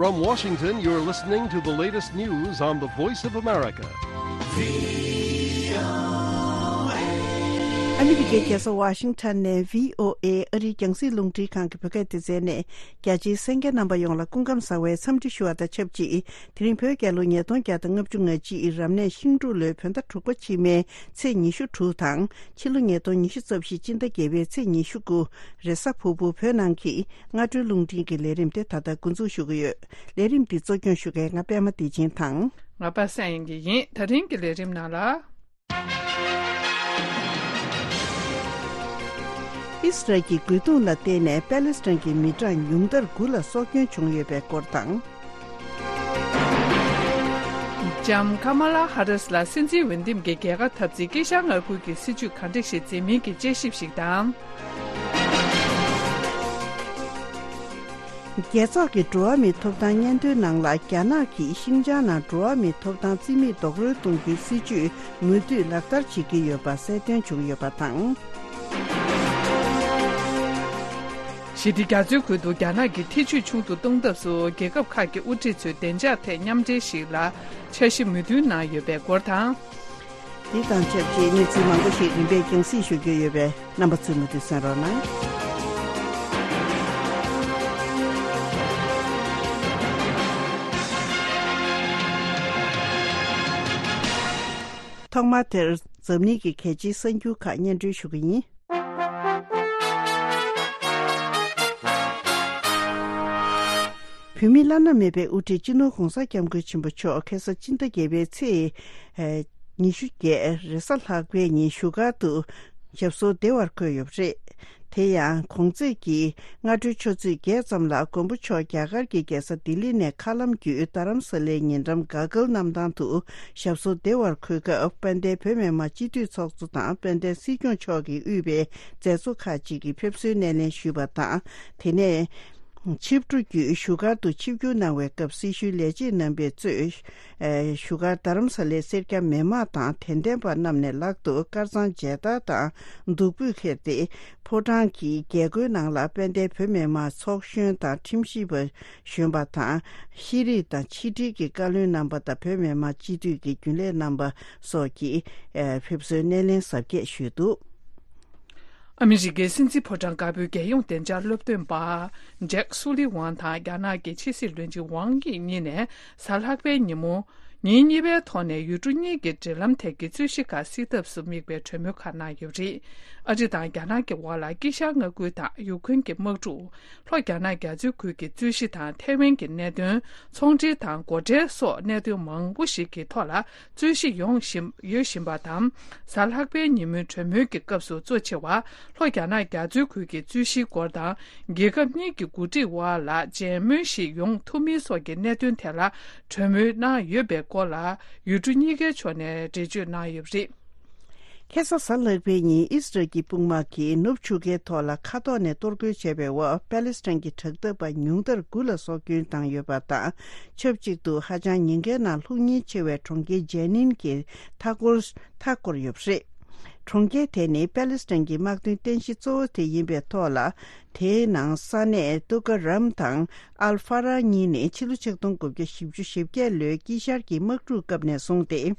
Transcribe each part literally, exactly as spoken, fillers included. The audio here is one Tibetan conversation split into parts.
From Washington, you're listening to the latest news on the Voice of America. ཨ་མི་རི་ཀའི་རྒྱལ་ས་ཝ་ཤིང་ཊོན་ནས་བྷི་ཨོ་ཨེ་ཨ་རིའི་རྒྱང་སྲིང་རླུང་འཕྲིན་ཁང་གི་བོད་སྐད་སྡེ་ཚན་ནས། རྒྱ་ཆེའི་གསན་མཁན་རྣམ་པ་ཡོངས་ལ་སྐུ་ཁམས་བཟང་བའི་འཚམས་འདྲི་ཞུ་བ་དང་ཆབས་ཅིག་དེ་རིང་བོད་རྒྱལ་ལོ་ཉིས་སྟོང་བརྒྱ་དང་ལྔ་བཅུ་ང་གཅིག་རབ་གནས་ཤིང་འབྲུག་ལོའི་བོད་ཟླ་དྲུག་པ་ཕྱི་མའི་ཚེས་ཉི་ཤུ་དྲུག་དང་། ཕྱི་ལོ་ཉིས་སྟོང་ཉི་ཤུ་རྩ་བཞི་སྤྱི་ཟླ་བརྒྱད་པའི་ཚེས་ཉི་ཤུ་དགུ། རེས་གཟའ་ཕུར་བུ་བོད་ནང་གི་སྔ་དྲོའི་རླུང་འཕྲིན་གྱི་ལས་རིམ་དེ་ད་ལྟ་འགོ་འཛུགས་ཞུ་གི་ཡོད། ལས་རིམ་འདི་གཙོ་སྐྱོང་ཞུ་མཁན་ང་པད་མ་བདེ་ཆེན་དང་། ང་པ་སངས་དབྱངས་ཡིན། ད་རིང་གི་ལས་རིམ་ནང་ལ། ཨིས་རལ་གྱི་རྒོལ་རྡུང་ལ་བརྟེན་ནས་པེ་ལེ་སི་ཐན་གྱི་མི་གྲངས་ཉུང་མཐར་དགུ་ལ་སྲོག་སྐྱོན་བྱུང་ཡོད་པའི་སྐོར་དང་། ལྕམ་ཀ་མ་ལ་ཧ་རིས་ལ་སྲིད་འཛིན་འོས་འདེམས་ཀྱི་རྒྱལ་ཁ་འཐབ་རྩིས་དཀྱིལ་ཤར་མངའ་ཁུལ་གྱི་སྲིད་ཇུས་ག་འདྲ་ཞིག་འཛིན་མིན་གྱི་དཔྱད་ཞིབ་ཞིག་དང་། རྒྱལ་ཚོགས་ཀྱི་འགྲོ་བ་མིའི་ཐོབ་ཐང་སྙན་ཐོའི་ནང་ལ། རྒྱ་ནག་གིས་ཤིང་ཅང་ནང་འགྲོ་བ་མིའི་ཐོབ་ཐང་རྩིས་མེད་རྡོག་རོལ་གཏོང་རྒྱུའི་སྲིད་ཇུས་མུ་མཐུད་ལག་བསྟར་བྱེད་ཀྱི་ཡོད་པ་གསལ་སྟོན་བྱུང་ཡོད་པ་དང་། ཞི་བདེ་རྒྱ་མཚོའི་ཁུལ་དུ་རྒྱ་ནག་གི་ཐེ་ཇུས་ཆུང་དུ་གཏོང་ཐབས་སུ། རྒྱལ་ཁབ་ཁག་གི་དབུ་ཁྲིད་ཚོས་བདེ་འཇགས་ཐད་མཉམ་འབྲེལ་ཞིག་ལ་འཆར་གཞི་མོས་མཐུན་གནང་ཡོད་པའི་སྐོར་དང་། འདི་དང་ཆབས་ཅིག་གནས་ཚུལ་མང་པོ་ཞིག་རིམ་པས་རྒྱང་སྲིང་ཞུ་རྒྱུ་ཡོད་པས། རྣམ་པ་ཚོས་མུ་མཐུད་གསན་རོགས་གནང་། ཐོག་མར་དེར་འཛམ་གླིང་གི་གལ་ཆེའི་གསར་འགྱུར་ཁག་སྙན་སྒྲོན་ཞུ་གི་ཡིན། བོད་མིའི་བླ་ན་མེད་པའི་དབུ་ཁྲིད་སྤྱི་ནོར་༧གོང་ས་༧སྐྱབས་མགོན་ཆེན་པོ་མཆོག་ཁ་སང་སྤྱི་ཟླ་བརྒྱད་པའི་ཚེས་ཉི་ཤུ་བརྒྱད་རེས་གཟའ་ལྷག་པའི་ཉིན་བཞུགས་སྒར་དུ་ཞབས་སོར་བདེ་བར་འཁོད་ཡོད་པ་རེད། དེ་ཡང་གོང་ཚེས་ཀྱི་སྔ་དྲོའི་ཆུ་ཚོད་བརྒྱད་ཙམ་ལ་མགོན་པོ་མཆོག་རྒྱ་གར་གྱི་རྒྱལ་ས་ལྡི་ལི་ནས་མཁའ་ལམ་བརྒྱུད་རྡ་རམ་ས་ལའི་ཉེ་འགྲམ་ག་གལ་གནམ་ཐང་དུ་ཞབས་སོར་བདེ་བར་འཁོད་སྐབས། དཔལ་ལྡན་བོད་མི་མང་སྤྱི་འཐུས་ཚོགས་གཙོ་དང་དཔལ་ལྡན་སྲིད་སྐྱོང་མཆོག་གིས་དབུས་པའི་མཛད་གཙོ་ཁག་ཅིག་གིས་ཕེབས་བསུའི་སྣེ་ལེན་ཞུས་པ་དང་། དེ་ནས་ཆིབས་འགྲོ་བརྒྱུད་བཞུགས་སྒར་དུ་ཆིབས་བསྒྱུར་གནང་བའི་སྐབས། སྲི་ཞུའི་ལས་བྱེད་རྣམ་པས་གཙོས་བཞུགས་སྒར་རྡ་རམ་ས་ལའི་སེར་སྐྱ་མི་མང་དང་། དད་ལྡན་པ་རྣམས་ནས་ལག་ཏུ་དཀར་གཙང་མཇལ་དར་དང་བདུག་སྤོས་ཁྱེར་ཏེ། ཕོ་བྲང་གི་རྒྱལ་སྒོའི་ནང་ལ་དཔལ་ལྡན་བོད་མི་མང་ཚོགས་གཞོན་དང་ཁྲིམས་ཞིབ་པ་གཞོན་པ་དང་། ཤེས་རིག་དང་ཕྱི་དྲིལ་གྱི་བཀའ་བློན་རྣམ་པ་དང་། བོད་མི་མང་སྤྱི་འཐུས་ཀྱི་རྒྱུན་ལས་རྣམ་པ་སོགས་ཀྱིས་ཕེབས་བསུའི་སྣེ་ལེན་གཟབ་རྒྱས་ཞུས་འདུག། ཨ་མི་རི་ཀའི་སྲིད་འཛིན་ཕོ་བྲང་དཀར་པོའི་རྒྱལ་ཡོངས་བདེ་འཇགས་སློབ་སྟོན་པ་ཇེག་སུ་ལི་ཝང་དང་རྒྱ་ནག་གི་ཕྱི་སྲིད་བློན་ཆེན་ཝང་དབྱི་གཉིས་ནས་གཟའ་ལྷག་པའི་ཉིན་མོ། ཉིན་གཉིས་པའི་ཐོག་ནས་ཡུལ་གྲུ་གཉིས་ཀྱི་འབྲེལ་ལམ་ཐད་ཀྱི་རྩོད་གཞི་ཁག་སེལ་ཐབས་སུ་དམིགས་པའི་གྲོས་མོལ་ཁག་གནང་ཡོད་པ་རེད། ཨ་རི་དང་རྒྱ་ནག་གི་དབར་ལ་དཀྱིལ་ཤར་མངའ་ཁུལ་དང་ཡུཀ་རེན་གྱི་དམག་འཁྲུག་ལྷོ་རྒྱ་ནག་རྒྱ་མཚོའི་ཁུལ་གྱི་རྩོད་གཞི་དང་ཐའེ་ཝན་གྱི་གནད་དོན། ཚོང་འབྲེལ་དང་སྒོ་ཁྲལ་སོགས་གནད་དོན་མང་པོ་ཞིག་གི་ཐོག་ལ་རྩོད་གཞི་ཡོང་བཞིན་ཡོད་བཞིན་པ་དང་། གཟའ་ལྷག་པའི་ཉིན་མོའི་གྲོས་མོལ་གྱི་སྐབས་སུ་གཙོ་ཆེ་བ། ལྷོ་རྒྱ་ནག་རྒྱ་མཚོའི་ཁུལ་གྱི་རྩོད་གཞིའི་སྐོར་དང་། རྒྱལ་ཁབ་གཉིས་ཀྱི་འགོ་ཁྲིད་དབར་ལ་མཇལ་མོལ་ཞིག་ཡོང་ཐུབ་མིན་སོགས་ཀྱི་གནད་དོན་ཐད་ལ་གྲོས་མོལ་གནང་ཡོད་པའི་སྐོར་ལ། ཡུལ་གྲུ་གཉིས་ཀའི་ཕྱོགས་ནས་འགྲེལ་བརྗོད་གནང་ཡོད་པ་རེད། ཁ་སང་གཟའ་ལྷག་པའི་ཉིན་ཨིས་རལ་གྱི་དཔུང་དམག་གིས་ནུབ་ཆུ་ཁའི་ཐོག་ལ་མཁའ་ཐོག་ནས་གཏོར་རྒོལ་བྱས་པའི་འོག་པེ་ལེ་སི་ཐན་གྱི་དྲག་འཐབ་པ་ཉུང་མཐར་དགུ་ལ་སྲོག་སྐྱོན་བཏང་ཡོད་པ་དང་། ཆབས་ཅིག་ཏུ་ཧ་ཅང་ཉེན་ཁའི་ནང་ལྷུང་ཉེན་ཆེ་བའི་གྲོང་ཁྱེར་ཇེ་ནིན་གྱི་མཐའ་འཁོར་མཐའ་བསྐོར་ཡོད་པ་རེད། གྲོང་ཁྱེར་དེ་ནི་པེ་ལེ་སི་ཐན་གྱི་དམག་དོན་རྟེན་གཞི་གཙོ་བོ་དེ་ཡིན་པའི་ཐོག་ལ། དེའི་ནང་ས་གནས་ཏུ་ཀ་རམ་དང་ཨལ་ཧྥ་ར་གཉིས་ནི་ཕྱི་ལོ་ཆིག་སྟོང་དགུ་བརྒྱ་བཞི་བཅུ་ཞེ་བརྒྱད་ལོའི་དཀྱིལ་ཤར་གྱི་དམག་འཁྲུག་སྐབས་ནས་བཟུང་སྟེ།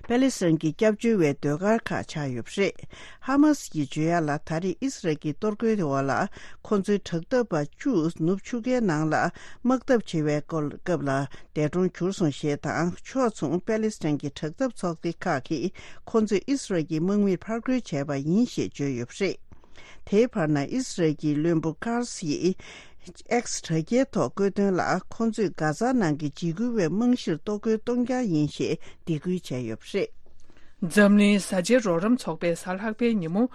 པེ་ལེ་སི་ཐན་གྱི་སྐྱབས་བཅོལ་བའི་ཟློས་གར་ཁག་ཆགས་ཡོད་པ་རེད། ཧ་མ་སི་ཡིས་བརྗོད་ཡ་ལ། ད་རེས་ཨིས་རལ་གྱི་གཏོར་རྒོལ་དེ་འོག་ལ་ཁོ་ཚོའི་དྲག་འཐབ་པ་བཅུ་ནུབ་ཆུ་ཁའི་ནང་ལ་དམག་འཐབ་བྱེད་པའི་སྐོར་སྐབས་ལ་འདས་གྲོངས་གྱུར་སོང་ཞེས་དང་། ཕྱོགས་མཚུངས་པེ་ལེ་སི་ཐན་གྱི་དྲག་འཐབ་ཚོགས་སྡེ་ཁག་གིས་ཁོ་ཚོས་ཨིས་རལ་གྱི་དམག་མིར་ཕར་རྒོལ་བྱས་པ་ཡིན་ཞེས་བརྗོད་ཡོད་པ་རེད། དེའི་བར་ན་ཨིས་རལ་གྱི་བློན་པོ་ཀར་སི་ཡིས་ཨེག་སི་དྲ་རྒྱའི་ཐོག་བཀོད་དོན་ལ། ཁོ་ཚོས་གྷ་ཛ་ནང་གི་འཇིགས་སྐུལ་བའི་རྨང་གཞིར་གཏོར་རྒོལ་གཏོང་རྐྱང་ཡིན་ཞེས་སྡིགས་སྐུལ་བྱས་ཡོད་པ་རེད། འཛམ་གླིང་བཟའ་བཅའི་རོགས་རམ་ཚོགས་པས་གཟའ་ལྷག་པའི་ཉིན་མོ།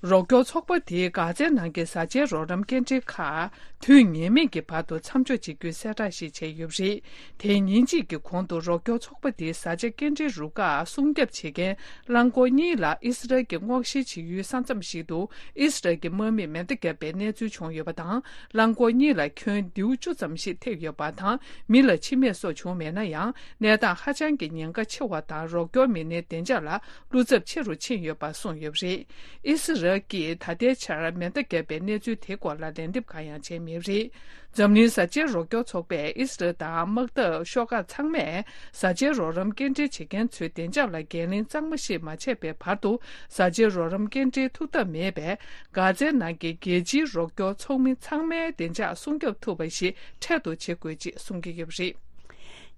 རོགས་སྐྱོར་ཚོགས་པ་དེས་གྷ་ཛའི་ནང་གི་བཟའ་བཅའི་རོགས་རམ་སྐྱེལ་འདྲེན་ཁག་དུས་ངེས་མེད་ཀྱི་བར་དུ་མཚམས་འཇོག་བྱེད་རྒྱུའི་གསལ་བསྒྲགས་ཤིག་བྱས་ཡོད་པ་རེད། དེའི་ཉིན་གཅིག་གི་གོང་དུ་རོགས་སྐྱོར་ཚོགས་པ་དེའི་བཟའ་བཅའ་སྐྱེལ་འདྲེན་རུ་ཁག་སྲུང་སྐྱོབ་བྱེད་མཁན་རླངས་འཁོར་གཉིས་ལ་ཨི་སི་རལ་གྱི་སྔོག་བཤེར་བྱེད་ཡུལ་ས་མཚམས་ཤིག་ཏུ་ཨི་སི་རལ་གྱི་དམག་མིས་མེ་མདའ་བརྒྱབ་པའི་གནས་ཚུལ་བྱུང་ཡོད་པ་དང་། རླངས་འཁོར་གཉིས་ལ་ཁྱོན་མདེའུ་བཅུ་ཙམ་ཞིག་ཐེབས་ཡོད་པ་དང་། མི་ལ་འཆི་རྨས་སོགས་བྱུང་མེད་ན་ཡང་། གནས་སྟངས་ཧ་ཅང་གི་ཉེན་ཁ་ཆེ་བ་དང་། རོགས་སྐྱོར་མི་སྣའི་བདེ་འཇགས་ལ་བློ་འཚབ་ཆེ་རུ་ཕྱིན་ཡོད་པ་གསུངས་ཡོད་པ་རེད། ཨི་སི་རལ། ཀྱིས་ད་ལྟའི་ཆར་མེ་མདའ་བརྒྱབ་པའི་གནས་ཚུལ་དེའི་སྐོར་ལ་ལན་འདེབས་གང་ཡང་བྱས་མེད་པ་རེད། འཛམ་གླིང་བཟའ་བཅའི་རོགས་སྐྱོར་ཚོགས་པས་ཨི་སི་རལ་དང་དམག་འཐབ་ཤོག་ཁག་ཚང་མས་བཟའ་བཅའི་རོགས་རམ་སྐྱེལ་འདྲེན་བྱེད་མཁན་ཚོའི་བདེ་འཇགས་ལ་འགན་ལེན་གཙང་མ་ཞིག་མ་བྱས་པའི་བར་དུ། བཟའ་བཅའི་རོགས་རམ་སྐྱེལ་འདྲེན་ཐུབ་ཐབས་མེད་པས། གྷ་ཛའི་ནང་གི་རྒྱལ་སྤྱིའི་རོགས་སྐྱོར་ཚོགས་མི་ཚང་མའི་བདེ་འཇགས་སྲུང་སྐྱོབ་ཐུབ་པ་ཞིག་འཕྲལ་དུ་བྱེད་དགོས་ཅེས་གསུང་གི་ཡོད་པ་རེད།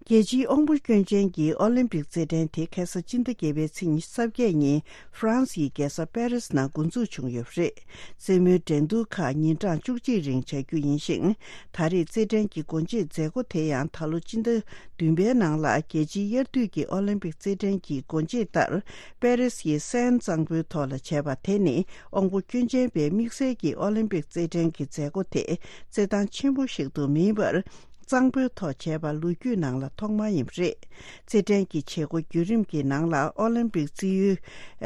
རྒྱལ་སྤྱིའི་དབང་པོ་སྐྱོན་ཅན་གྱི་ཨོ་ལིམ་པིག་རྩེད་འགྲན་དེ་ཁ་ས་ཕྱི་ཟླ་བརྒྱད་པའི་ཚེས་ཉི་ཤུ་རྩ་བརྒྱད་ཉིན་ཧྥ་རན་སིའི་རྒྱལ་ས་པེ་རིས་ནང་འགོ་འཛུགས་བྱུང་ཡོད་པ་རེད། རྩེད་མོའི་འགྲན་བསྡུར་ཁག་ཉིན་གྲངས་བཅུ་གཅིག་རིང་བྱ་རྒྱུ་ཡིན་ཞིང་། ད་རེས་རྩེད་འགྲན་གྱི་སྒོ་འབྱེད་མཛད་སྒོ་དེ་ཡང་ད་ལོ་སྤྱི་ཟླ་བདུན་པའི་ནང་ལ་རྒྱལ་སྤྱིའི་དབྱར་དུས་ཀྱི་ཨོ་ལིམ་པིག་རྩེད་འགྲན་གྱི་སྒོ་འབྱེད་ལྟར་པེ་རིས་ཡི་སེན་གཙང་པོའི་ཐོག་ལ་བྱས་པ་དེ་ནི་དབང་པོ་སྐྱོན་ཅན་པའི་དམིགས་བསལ་གྱི་ཨོ་ལིམ་པིག་རྩེད་འགྲན་གྱི་མཛད་སྒོ་དེ་རྩེད་ཐང་ཆེན་པོ་ཞིག་ཏུ་མིན་པར། གཙང་པོའི་ཐོག་བྱས་པ་ལོ་རྒྱུས་ནང་ལ་ཐོག་མ་ཡིན་པ་རེད། རྩེད་འགྲན་གྱི་བྱེད་སྒོ་བརྒྱུད་རིམ་གྱི་ནང་ལ་ཨོ་ལིམ་པིག་རྩིས་ཡུལ་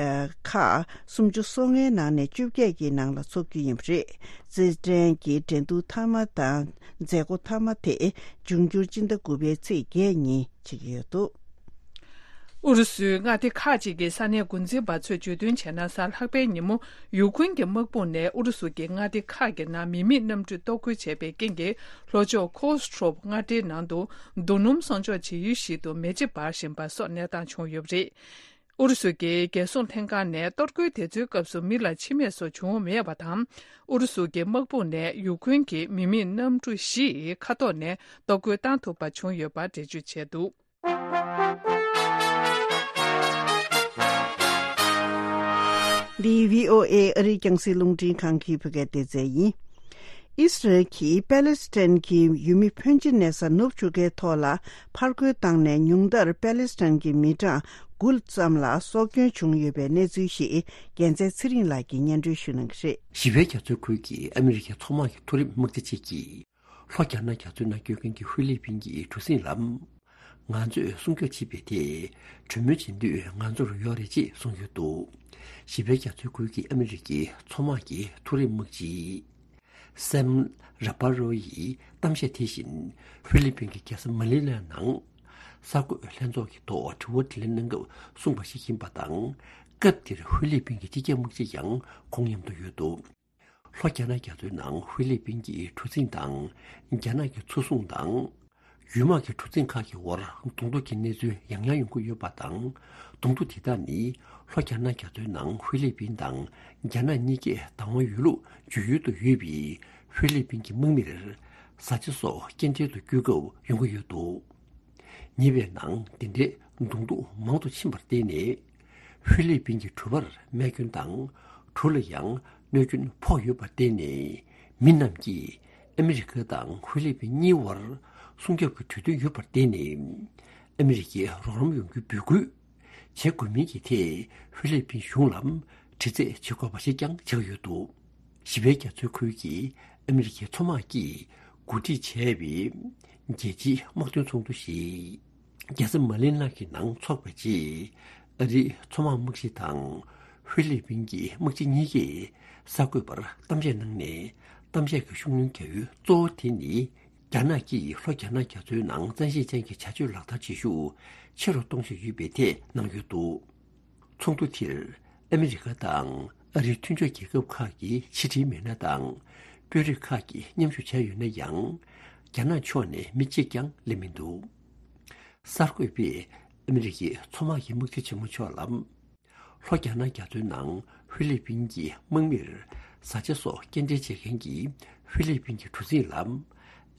ཨ་ཁག་སུམ་ཅུ་སོ་ལྔའི་ནང་ནས་བཅོ་བརྒྱད་ཀྱི་ནང་ལ་འཚོགས་རྒྱུ་ཡིན་པ་རེད། རྩེད་འགྲན་གྱི་འགྲན་བསྡུར་མཐའ་མ་དང་མཛད་སྒོ་མཐའ་མ་དེ་འབྱུང་འགྱུར་སྤྱི་ཟླ་དགུ་པའི་ཚེས་བརྒྱད་ཉིན་བྱེད་ཀྱི་ཡོད་འདུག་ཨུ་རུ་སུའི་མངའ་སྡེ་ཁག་ཅིག་གི་ས་གནས་འགོ་འཛིན་པ་ཚོས་བརྗོད་དོན་བྱས་ན། གཟའ་ལྷག་པའི་ཉིན་མོ་ཡུ་ཁུན་གྱི་དམག་དཔུང་ནས་ཨུ་རུ་སུ་གྱི་མངའ་སྡེ་ཁག་གི་ནང་མི་མེད་གནམ་གྲུས་གཏོར་རྒོལ་བྱས་པའི་རྐྱེན་གྱིས། ལྷོ་ཕྱོགས་ཁོ་སི་ཁྲོབ་མངའ་སྡེའི་ནང་དུ་རྡོ་སྣུམ་གསོག་འཇོག་བྱེད་ཡུལ་ཞིག་ཏུ་མེ་ལྕེ་འབར་བཞིན་པ་སོགས་གནས་སྟངས་བྱུང་ཡོད་པ་རེད། ཨུ་རུ་སུ་གྱི་རྒྱལ་སྲུང་ལྷན་ཁང་ནས་གཏོར་རྒོལ་དེ་ཚོའི་སྐབས་སུ་མི་ལ་འཆི་རྨས་སོགས་བྱུང་མེད་པ་དང་། ཨུ་རུ་སུ་གྱི་དམག་དཔུང་ནས་ཡུ་ཁུན་གྱི་མི་མེད་གནམ་གྲུ་བཞི་མཁའ་ཐོག་ནས་གཏོར་རྒོལ་བཏང་ཐུབ་པ་བྱུང་ཡོད་པ་འགྲེལ་བརྗོད་བྱས་འདུག་འདི་བྷི་ཨོ་ཨེ་ཨ་རིའི་རྒྱང་སྲིང་རླུང་འཕྲིན་ཁང་གི་བོད་སྐད་སྡེ་ཚན་ཡིན། ཨིས་རལ་གྱིས་པེ་ལེ་སི་ཐན་གྱི་ཡུལ་མི་ཕོན་ཆེ་གནས་ས་ནུབ་ཆུ་ཁའི་ཐོག་ལ་ཕར་རྒོལ་བཏང་ནས་ཉུང་མཐར་པེ་ལེ་སི་ཐན་གྱི་མི་གྲངས་དགུ་ཙམ་ལ་སྲོག་སྐྱོན་བྱུང་ཡོད་པའི་གནས་ཚུལ་ཞིག་རྒྱལ་མཚན་ཚེ་རིང་ལགས་ཀྱིས་སྙན་སྒྲོན་ཞུ་གནང་གི་རེད། བཞི་པའི་རྒྱ་མཚོའི་ཁུལ་གྱི་ཨ་མི་རི་ཀའི་མཚོ་དམག་གི་མཐོ་རིམ་དམག་སྡེ་གཅིག་གིས། ལྷོ་རྒྱ་ནག་རྒྱ་མཚོའི་ནང་སྐྱོད་མཁན་གྱི་ཧྥི་ལི་པིན་གྱི་གྲུ་གཟིངས་ལ། ང་ཚོས་སྲུང་སྐྱོབ་བྱེད་པའི་དེ། གྲོས་མོལ་བྱེད་འདོད་ང་ཚོར་ཡོད་རེད་ཅེས་གསུངས་ཡོད་འདུག་བཞི་པའི་རྒྱ་མཚོའི་ཁུལ་གྱི་ཨ་མི་རི་ཀའི་མཚོ་དམག་གི་མཐོ་རིམ་དམག་སྤྱི། སེམ་ར་པ་རོ་ཡིས་གཏམ་བཤད་དེ་བཞིན་ཧྥི་ལི་པིན་གྱི་རྒྱལ་ས་མ་ནི་ལའི་ནང་། གསར་འགོད་ལྷན་ཚོགས་ཀྱི་ཐོག་དྲི་བ་དྲིས་ལན་གནང་སྐབས་གསུངས་པ་ཞིག་ཡིན་པ་དང་། སྐབས་དེར་ཧྥི་ལི་པིན་གྱི་སྤྱི་ཁྱབ་དམག་སྤྱི་ཡང་ཁོང་མཉམ་དུ་ཡོད་འདུག་ལྷོ་རྒྱ་ནག་རྒྱ་མཚོའི་ནང་ཧྥི་ལི་པིན་གྱི་གྲུ་གཟིངས་དང་། རྒྱ་ནག་གི་མཚོ་སྲུང་དང་། ཡུལ་དམག་གི་གྲུ་གཟིངས་ཁག་གི་དབར་གདོང་ཐུག་གི་གནས་ཚུལ་ཡང་ཡང་ཡོང་གི་ཡོད་པ་དང་། གདོང་ཐུག་དེ་དག་ནི་ལྷོ་རྒྱ་ནག་རྒྱ་མཚོའི་ནང་ཧྥི་ལི་པིན་དང་རྒྱ་ནག་གཉིས་ཀས་བདག་དབང་ཡོད་ལུགས་བརྗོད་ཡུལ་དུ་ཡོད་པའི་ཧྥི་ལི་པིན་གྱི་དམག་མིར་བཟའ་བཅའ་སོགས་སྐྱེལ་འདྲེན་དུ་བསྐྱོད་སྐབས་ཡོང་གི་ཡོད་འདུག་ཉེ་བའི་ནང་འདི་འདྲའི་གདོང་ཐུག་མང་དུ་ཕྱིན་པར་བརྟེན་ནས། ཧྥི་ལི་པིན་གྱི་གྲུ་པར་རྨས་སྐྱོན་དང་། གྲུ་ལ་ཡང་གནོད་སྐྱོན་ཕོག་ཡོད་པར་བརྟེན་ནས། མི་རྣམས་ཀྱིས་ཨ་མི་རི་ཀ་དང་ཧྥི་ལི་པིན་གཉིས་བར་སྲུང་སྐྱོབ་ཀྱི་གྲོས་མཐུན་ཡོད་པར་བརྟེན་ནས། ཨ་མི་རི་ཀའི་རོགས་རམ་ཡོང་རྒྱུའི་འབོད་སྐུལ་བྱེད་དགོས་མིན་གྱི་ཐད་ཧྥི་ལི་པིན་གཞུང་ལ་དྲི་རྩད་བྱེད་དགོས་པ་ཞིག་ཀྱང་ཆགས་ཡོད་འདུག་བཞི་པའི་རྒྱ་མཚོའི་ཁུལ་གྱི་ཨ་མི་རི་ཀའི་མཚོ་དམག་གིས་གོ་སྒྲིག་བྱས་པའི་རྒྱལ་སྤྱིའི་དམག་དོན་ཚོགས་འདུ་ཞིག་རྒྱལ་ས་མ་ནི་ལ་གི་ནང་འཚོགས་པའི་རྗེས། ཨ་རིའི་མཚོ་དམག་དམག་སྤྱི་དང་ཧྥི་ལི་པིན་གྱི་དམག་སྤྱི་གཉིས་ཀས་གསར་འགོད་པར་གཏམ་བཤད་གནང་ནས། གཏམ་བཤད་ཀྱི་ཤུགས་སྣོན་རྒྱག་ཡུལ་གཙོ་བོ་དེ་ནི། རྒྱ་ནག་གིས་ལྷོ་རྒྱ་ནག་རྒྱ་མཚོའི་ནང་བཙན་ཤེད་ཅན་གྱི་བྱ་སྤྱོད་ལག་བསྟར་བྱེད་ཤུགས་ཆེ་རུ་གཏོང་བཞིན་ཡོད་པའི་ཐད་གནང་ཡོད་འདུག་ཚོགས་འདུ་དེར་ཨ་མི་རི་ཀ་དང་ཨ་རིའི་མཐུན་ཕྱོགས་རྒྱལ་ཁབ་ཁག་གི་ཕྱི་དྲིལ་མི་སྣ་དང་། དཔོན་རིགས་ཁག་གིས་མཉམ་ཞུགས་བྱས་ཡོད་ན་ཡང་། རྒྱ་ནག་ཕྱོགས་ནས་མི་གཅིག་ཀྱང་སླེབས་མི་འདུག་གསར་འགོད་པས་ཨ་མི་རི་ཀའི་མཚོ་དམག་གི་དམག་སྤྱི་ཆེན་མོ་མཆོག་ལ། ལྷོ་རྒྱ་ནག་རྒྱ་མཚོའི་ནང་ཧྥི་ལི་པིན་གྱི་དམག་མིར་བཟའ་བཅའ་སོགས་སྐྱེལ་འདྲེན་བྱེད་མཁན་གྱི་ཧྥི་ལི་པིན་གྱི་གྲུ་གཟིངས་ལ།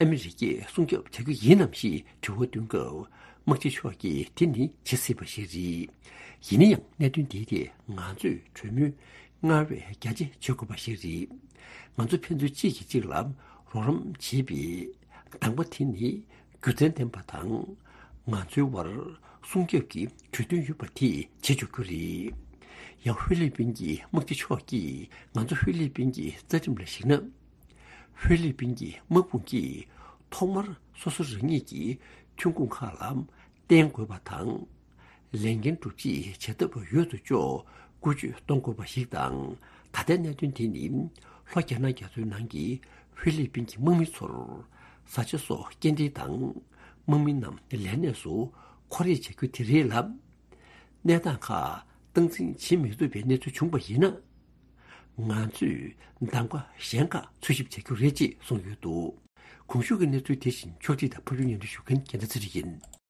ཨ་མི་རི་ཀས་སྲུང་སྐྱོབ་བྱ་རྒྱུ་ཡིན་ནམ་ཞེས་དྲི་བ་བཏོན་སྐབས། དམག་སྤྱི་མཆོག་གིས་དེ་ནི་བྱེད་སྲིད་པ་ཞིག་རེད། ཡིན་ན་ཡང་གནད་དོན་འདིའི་ཐད་ང་ཚོས་གྲོས་མོལ་སྔར་བས་རྒྱ་ཆེ་བྱེད་དགོས་པ་ཞིག་རེད། ང་ཚོ་ཕན་ཚུན་གཅིག་གིས་གཅིག་ལ་རོགས་རམ་བྱེད་པའི་དང་པོ་དེ་ནི་རྒྱུ་མཚན་ལྡན་པ་དང་། ང་ཚོའི་བར་སྲུང་སྐྱོབ་ཀྱི་གྲོས་མཐུན་ཡོད་པ་དེ་བྱེད་ཆོག་རྒྱུ་རེད། ཡང་ཧྥི་ལི་པིན་གྱི་དམག་སྤྱི་མཆོག་གིས་ང་ཚོ་ཧྥི་ལི་པིན་གྱི་རྩ་ཁྲིམས་ལ་གཞིགས་ན། ཧྥི་ལི་པིན་གྱི་དམག་དཔུང་གིས་ཐོག་མར་སོ་སོ་རང་ཉིད་ཀྱི་ཐོན་ཁུངས་ཁག་ལ་བརྟེན་དགོས་པ་དང་། ལས་འགན་སྒྲུབ་ཆེད་བྱེད་ཐབས་ཡོད་དོ་ཅོག་བཀོལ་སྤྱོད་གཏོང་དགོས་པ་ཞིག་དང་། ད་ལྟའི་གནད་དོན་དེ་ནི་ལྷོ་རྒྱ་ནག་རྒྱ་མཚོའི་ནང་གི་ཧྥི་ལི་པིན་གྱི་དམག་མི་ཚོར་བཟའ་བཅའ་སོགས་སྐྱེལ་འདྲེན་དང་། དམག་མི་རྣམས་ལས་གནས་སུ་འཁོར་རེས་བྱ་རྒྱུ་དེ་རེད་ལ། གནས་སྟངས་ཁག་སྟངས་འཛིན་བྱེད་མི་ཐུབ་པའི་གནས་ཚུལ་བྱུང་བ་ཡིན་ན། ང་ཚོས་གདམ་ག་གཞན་ཁག་འཚོལ་ཞིབ་བྱ་རྒྱུ་རེད་ཅེས་གསུངས་ཡོད་འདུག་གོང་ཞུས་ཀྱི་གནས་ཚུལ་དེ་བཞིན་ཕྱོགས་སྒྲིག་དང་ཕབ་སྒྱུར་སྙན་སྒྲོན་ཞུ་མཁན་རྒྱལ་མཚན་ཚེ་རིང་ཡིན།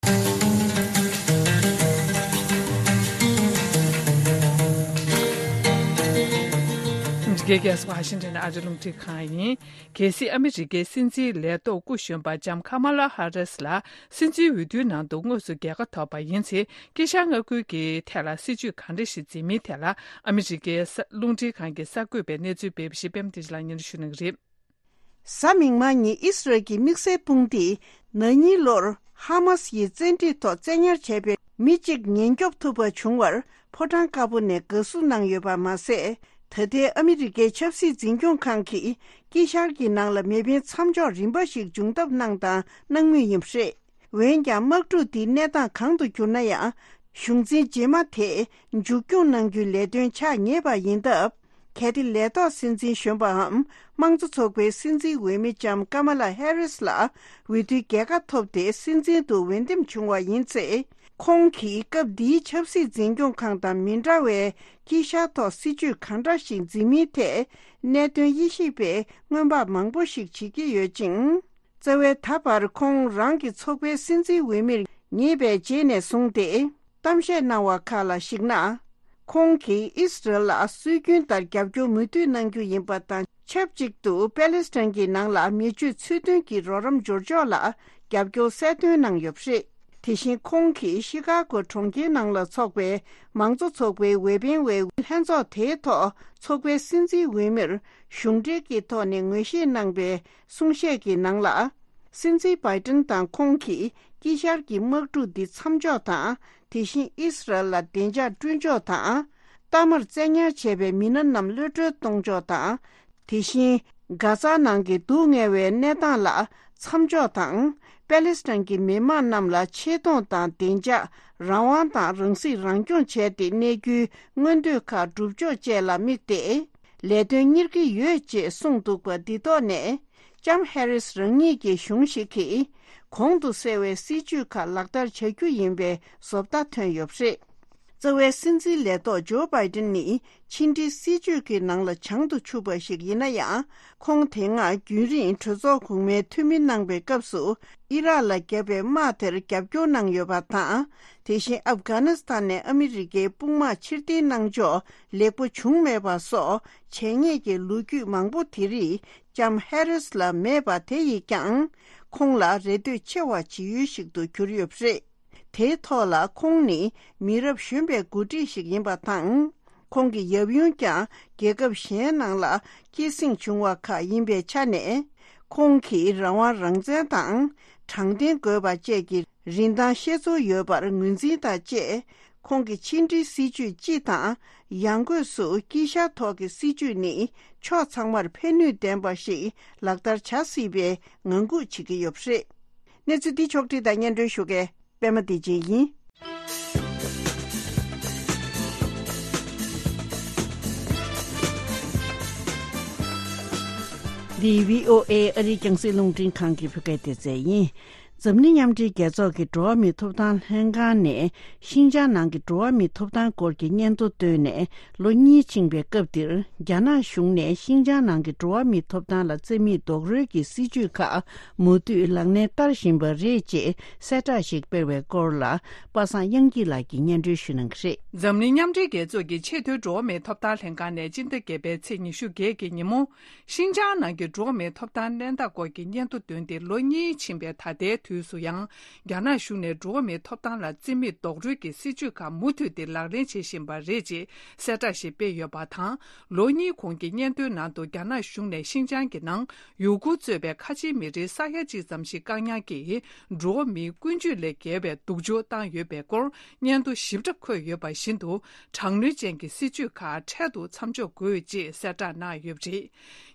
འདི་གའི་རྒྱལ་ས་ཝ་ཤིང་ཊོན་ཨ་རི་རླུང་འཕྲིན་ཁང་ཡིན། གལ་སྲིད་ཨ་མི་རི་ཀའི་སྲིད་འཛིན་ལས་ཐོག་སྐུ་གཞོན་པ་ལྕམ་ཁ་མ་ལ་ཧ་རིས་ལ་སྲིད་འཛིན་འོས་བསྡུའི་ནང་དུ་དངོས་སུ་རྒྱལ་ཁ་ཐོབ་པ་ཡིན་ཚེ། དཀྱིལ་ཤར་མངའ་ཁུལ་གྱི་ཐད་ལ་སྲིད་ཇུས་གང་འདྲ་ཞིག་འཛིན་མིན་ཐད་ལ་ཨ་མི་རི་ཀའི་གསར་རླུང་འཕྲིན་ཁང་གི་གསར་འགོད་པས་གནས་ཚུལ་སྤེལ་བ་ཞིག་པད་མ་བདེ་ཆེན་ལགས་སྙན་སྒྲོན་ཞུ་གནང་གི་རེད། གཟའ་མིག་དམར་ཉིན་ཨིས་རལ་གྱི་དམིགས་བསལ་དཔུང་སྡེས་ན་ནིང་ལོར་ཧ་མ་སི་ཡི་བཙན་ཁྲིད་ཐོག་བཙན་ཉར་བྱས་པའི་མི་གཅིག་ཉེན་སྐྱོབ་ཐུབ་པ་བྱུང་བར་ཕོ་བྲང་དཀར་པོ་ནས་དགའ་བསུ་གནང་ཡོད་པ་མ་ཟད། ད་ལྟའི་ཨ་མི་རི་ཀའི་ཆབ་སྲིད་འཛིན་སྐྱོང་ཁང་གིས་དཀྱིལ་ཤར་གྱི་ནང་ལ་མེ་འཕེན་མཚམས་འཇོག་རིམ་པ་ཞིག་འབྱུང་ཐབས་གནང་དང་གནང་མུས་ཡིན་པ་རེད། འོན་ཀྱང་དམག་འཁྲུག་འདི་གནས་སྟངས་གང་དུ་གྱུར་ན་ཡང་། གཞུང་འཛིན་རྗེས་མ་དེས་མཇུག་སྐྱོང་གནང་རྒྱུའི་ལས་དོན་ཆགས་ངེས་པ་ཡིན་སྟབས། གལ་ཏེ་ལས་ཐོག་སྲིད་འཛིན་གཞོན་པའམ་དམངས་གཙོ་ཚོགས་པའི་སྲིད་འཛིན་འོས་མི་ལྕམ་ཀ་མ་ལ་ཧེ་རིས་ལ་འོས་བསྡུའི་རྒྱལ་ཁ་ཐོབ་སྟེ་སྲིད་འཛིན་དུ་འོས་འདེམས་བྱུང་བ་ཡིན་ཚེ། ཁོང་གིས་སྐབས་འདིའི་ཆབ་སྲིད་འཛིན་སྐྱོང་ཁང་དང་མི་འདྲ་བའི་དཀྱིལ་ཤར་ཐོག་སྲིད་ཇུས་གང་འདྲ་ཞིག་འཛིན་མིན་ཐད་གནད་དོན་དབྱེ་ཞིབ་པས་སྔོན་དཔག་མང་པོ་ཞིག་བྱེད་ཀྱི་ཡོད་ཅིང་། རྩ་བའི་ད་བར་ཁོང་རང་གི་ཚོགས་པའི་སྲིད་འཛིན་འོས་མིར་ངེས་པའི་རྗེས་ནས་བཟུང་སྟེ། གཏམ་བཤད་གནང་བ་ཁག་ལ་གཞིགས་ན། ཁོང་གིས་ཨིས་རལ་ལ་སྲོལ་རྒྱུན་ལྟར་རྒྱབ་སྐྱོར་མུ་མཐུད་གནང་རྒྱུ་ཡིན་པ་དང་ཆབས་ཅིག་ཏུ་པེ་ལེ་སི་ཐན་གྱི་ནང་ལ་མི་སྤྱོད་ཚུལ་མཐུན་གྱི་རོགས་རམ་འབྱོར་ཕྱོགས་ལ་རྒྱབ་སྐྱོར་གསལ་སྟོན་གནང་ཡོད་པ་རེད། དེ་བཞིན་ཁོང་གིས་ཤི་ཀ་གོ་གྲོང་ཁྱེར་ནང་ལ་འཚོགས་པའི་མང་གཙོ་ཚོགས་པའི་འོས་འཕེན་བའི་ལྷན་ཚོགས་དེའི་ཐོག་ཚོགས་པའི་སྲིད་འཛིན་འོས་མིར་གཞུང་འབྲེལ་གྱི་ཐོག་ནས་ངོས་བཞེས་གནང་པའི་གསུང་བཤད་ཀྱི་ནང་ལ། སྲིད་འཛིན་བྷའི་ཏིན་དང་ཁོང་གིས་དཀྱིལ་ཤར་གྱི་དམག་འཁྲུག་འདི་མཚམས་འཇོག་དང་། དེ་བཞིན་ཨིས་རལ་ལ་བདེ་འཇགས་བསྐྲུན་ཕྱོགས་དང་། མཐའ་མར་བཙན་ཉར་བྱས་པའི་མི་སྣ་རྣམས་གློད་བཀྲོལ་གཏོང་ཕྱོགས་དང་། དེ་བཞིན་གྷ་ཛ་ནང་གི་སྡུག་བསྔལ་བའི་གནས་སྟངས་ལ་མཚམས་འཇོག་དང་། པེ་ལེ་སི་ཐན་གྱི་མི་དམངས་རྣམས་ལ་ཆེ་མཐོང་དང་བདེ་འཇགས། རང་དབང་དང་རང་སྲིད་རང་སྐྱོང་བྱས་ཏེ་གནས་རྒྱུའི་མངོན་འདོད་ཁག་སྒྲུབ་ཕྱོགས་བཅས་ལ་དམིགས་ཏེ། ལས་དོན་གཉེར་གྱི་ཡོད་ཅེས་གསུངས་འདུག་པ་འདི་ཐོག་ནས། ལྕམ་ཧེ་རིས་རང་ཉིད་ཀྱི་གཞུང་ཞིག་གིས་གོང་དུ་གསལ་བའི་སྲིད་ཇུས་ཁག་ལག་བསྟར་བྱ་རྒྱུ་ཡིན་པའི་བཟོ་ལྟ་ཐོན་ཡོད་པ་རེད། རྩ་བའི་སྲིད་འཛིན་ལས་ཐོག་ཇོ་བྷའི་ཏིན་ནི་ཕྱི་འབྲེལ་སྲིད་ཇུས་ཀྱི་ནང་ལ་བྱང་དུ་ཆུད་པ་ཞིག་ཡིན་ན་ཡང་། ཁོང་དེ་སྔ་རྒྱུན་རིང་གྲོས་ཚོགས་གོང་མའི་འཐུས་མི་གནང་པའི་སྐབས་སུ་ཨི་རག་ལ་བརྒྱབ་པའི་དམག་དེར་རྒྱབ་སྐྱོར་གནང་ཡོད་པ་དང་། དེ་བཞིན་ཨབ་གྷ་ནི་སི་ཐན་ནས་ཨ་མི་རི་ཀའི་དཔུང་དམག་ཕྱིར་འཐེན་གནང་ཕྱོགས་ལེགས་པོ་བྱུང་མེད་པ་སོགས་བྱས་ཉེས་ཀྱི་ལོ་རྒྱུས་མང་པོ་དེ་རིགས། ལྕམ་ཧེ་རིས་ལ་མེད་པ་དེ་ཡིས་ཀྱང་ཁོང་ལ་རེ་ལྟོས་ཆེ་བ་བྱེད་ཡུལ་ཞིག་ཏུ་གྱུར་ཡོད་པ་རེད། དེའི་ཐོག་ལ་ཁོང་ནི་མི་རབས་གཞོན་པའི་འགོ་ཁྲིད་ཞིག་ཡིན་པ་དང་། ཁོང་གི་ཡབ་ཡུམ་ཀྱང་རྒྱལ་ཁབ་གཞན་ནང་ལ་སྐྱེད་སྲིང་བྱུང་བ་ཁག་ཡིན་པའི་ཆ་ནས། ཁོང་གིས་རང་དབང་རང་བཙན་དང་དྲང་བདེན་དགོས་པ་བཅས་ཀྱི་རིན་ཐང་ཤེས་ཚོར་ཡོད་པར་ངོས་འཛིན་དང་བཅས། ཁོང་གི་ཕྱི་འབྲེལ་སྲིད་ཇུས་སྤྱི་དང་ཡང་སྒོས་སུ་དཀྱིལ་ཤར་ཐོག་གི་སྲིད་ཇུས་ནི་ཕྱོགས་ཚང་མར་ཕན་ནུས་ལྡན་པ་ཞིག་ལག་བསྟར་བྱ་སྲིད་པའི་ངང་སྒུག་བྱེད་ཀྱི་ཡོད་པ་རེད། གནས་ཚུལ་འདི་ཕྱོགས་བསྒྲིགས་དང་སྙན་སྒྲོན་ཞུ་མཁན་པད་མ་བདེ་ཆེན་ཡིན། འདི་བྷི་ཨོ་ཨེ་ཨ་རིའི་རྒྱང་སྲིང་རླུང་འཕྲིན་ཁང་གི་བོད་སྐད་སྡེ་ཚན་ཡིན། འཛམ་གླིང་མཉམ་འབྲེལ་རྒྱལ་ཚོགས་ཀྱི་འགྲོ་བ་མིའི་ཐོབ་ཐང་ལྷན་ཁང་ནས་ཤིན་ཅང་ནང་གི་འགྲོ་བ་མིའི་ཐོབ་ཐང་སྐོར་གྱི་སྙན་ཐོ་བཏོན་ནས་ལོ་གཉིས་ཕྱིན་པའི་སྐབས་འདིར། རྒྱ་ནག་གཞུང་ནས་ཤིན་ཅང་ནང་གི་འགྲོ་བ་མིའི་ཐོབ་ཐང་ལ་བརྩི་མེད་རྡོག་རོལ་གྱི་སྲིད་བྱུས་ཁག་མུ་མཐུད་ལག་ལེན་བསྟར་བཞིན་པ་རེད་ཅེས་གསལ་བསྒྲགས་ཤིག་སྤེལ་བའི་སྐོར་ལ། པ་སངས་དབྱངས་སྐྱིད་ལགས་ཀྱིས་སྙན་སྒྲོན་ཞུ་གནང་གི་རེད། འཛམ་གླིང་མཉམ་འབྲེལ་རྒྱལ་ཚོགས་ཀྱི་ཆེས་མཐོའི་འགྲོ་བ་མིའི་ཐོབ་ཐང་ལྷན་ཁང་ནས་སྤྱི་ཟླ་བརྒྱད་པའི་ཚེས་ཉི་ཤུ་བརྒྱད་ཀྱི་ཉིན་མོ། ཤིན་ཅང་ནང་གི་འགྲོ་བ་མིའི་ཐོབ་ཐང་གནས་སྟངས་སྐོར་གྱི་སྙན་ཐོ་བཏོན་ཏེ་ལོ་གཉིས་ཕྱིན་པའི་ད་ལྟའི་དུས་སུ་ཡང་། རྒྱ་ནག་གཞུང་ནས་འགྲོ་བ་མིའི་ཐོབ་ཐང་ལ་བརྩི་མེད་རྡོག་རོལ་གྱི་སྲིད་བྱུས་ཁག་མུ་མཐུད་དེ་ལག་ལེན་བྱེད་བཞིན་པ་རེད་ཅེས་གསལ་བསྒྲགས་ཤིག་སྤེལ་ཡོད་པ་དང་། ལོ་གཉིས་གོང་གི་སྙན་ཐོའི་ནང་དུ་རྒྱ་ནག་གཞུང་ནས་ཤིན་ཅང་གི་ནང་ཡུ་གུར་གཙོས་པའི་ཁ་ཆེའི་མི་རིགས་ས་ཡ་གཅིག་ཙམ་ཞིག་བཀག་ཉར་གྱིས་འགྲོ་བ་མིའི་ཀུན་སྤྱོད་ལས་བརྒལ་བའི་སྡུག་སྦྱོང་བཏང་ཡོད་པའི་སྐོར་སྙན་ཐོ་ཞིབ་ཕྲ་འཁོད་ཡོད་པ་བཞིན་དུ། དྲག་གནོན་ཅན་གྱི་སྲིད་བྱུས་ཁག་འཕྲལ་དུ་མཚམས་འཇོག་དགོས་ཅེས་གསལ་བསྒྲགས་གནང་ཡོད་པ་རེད།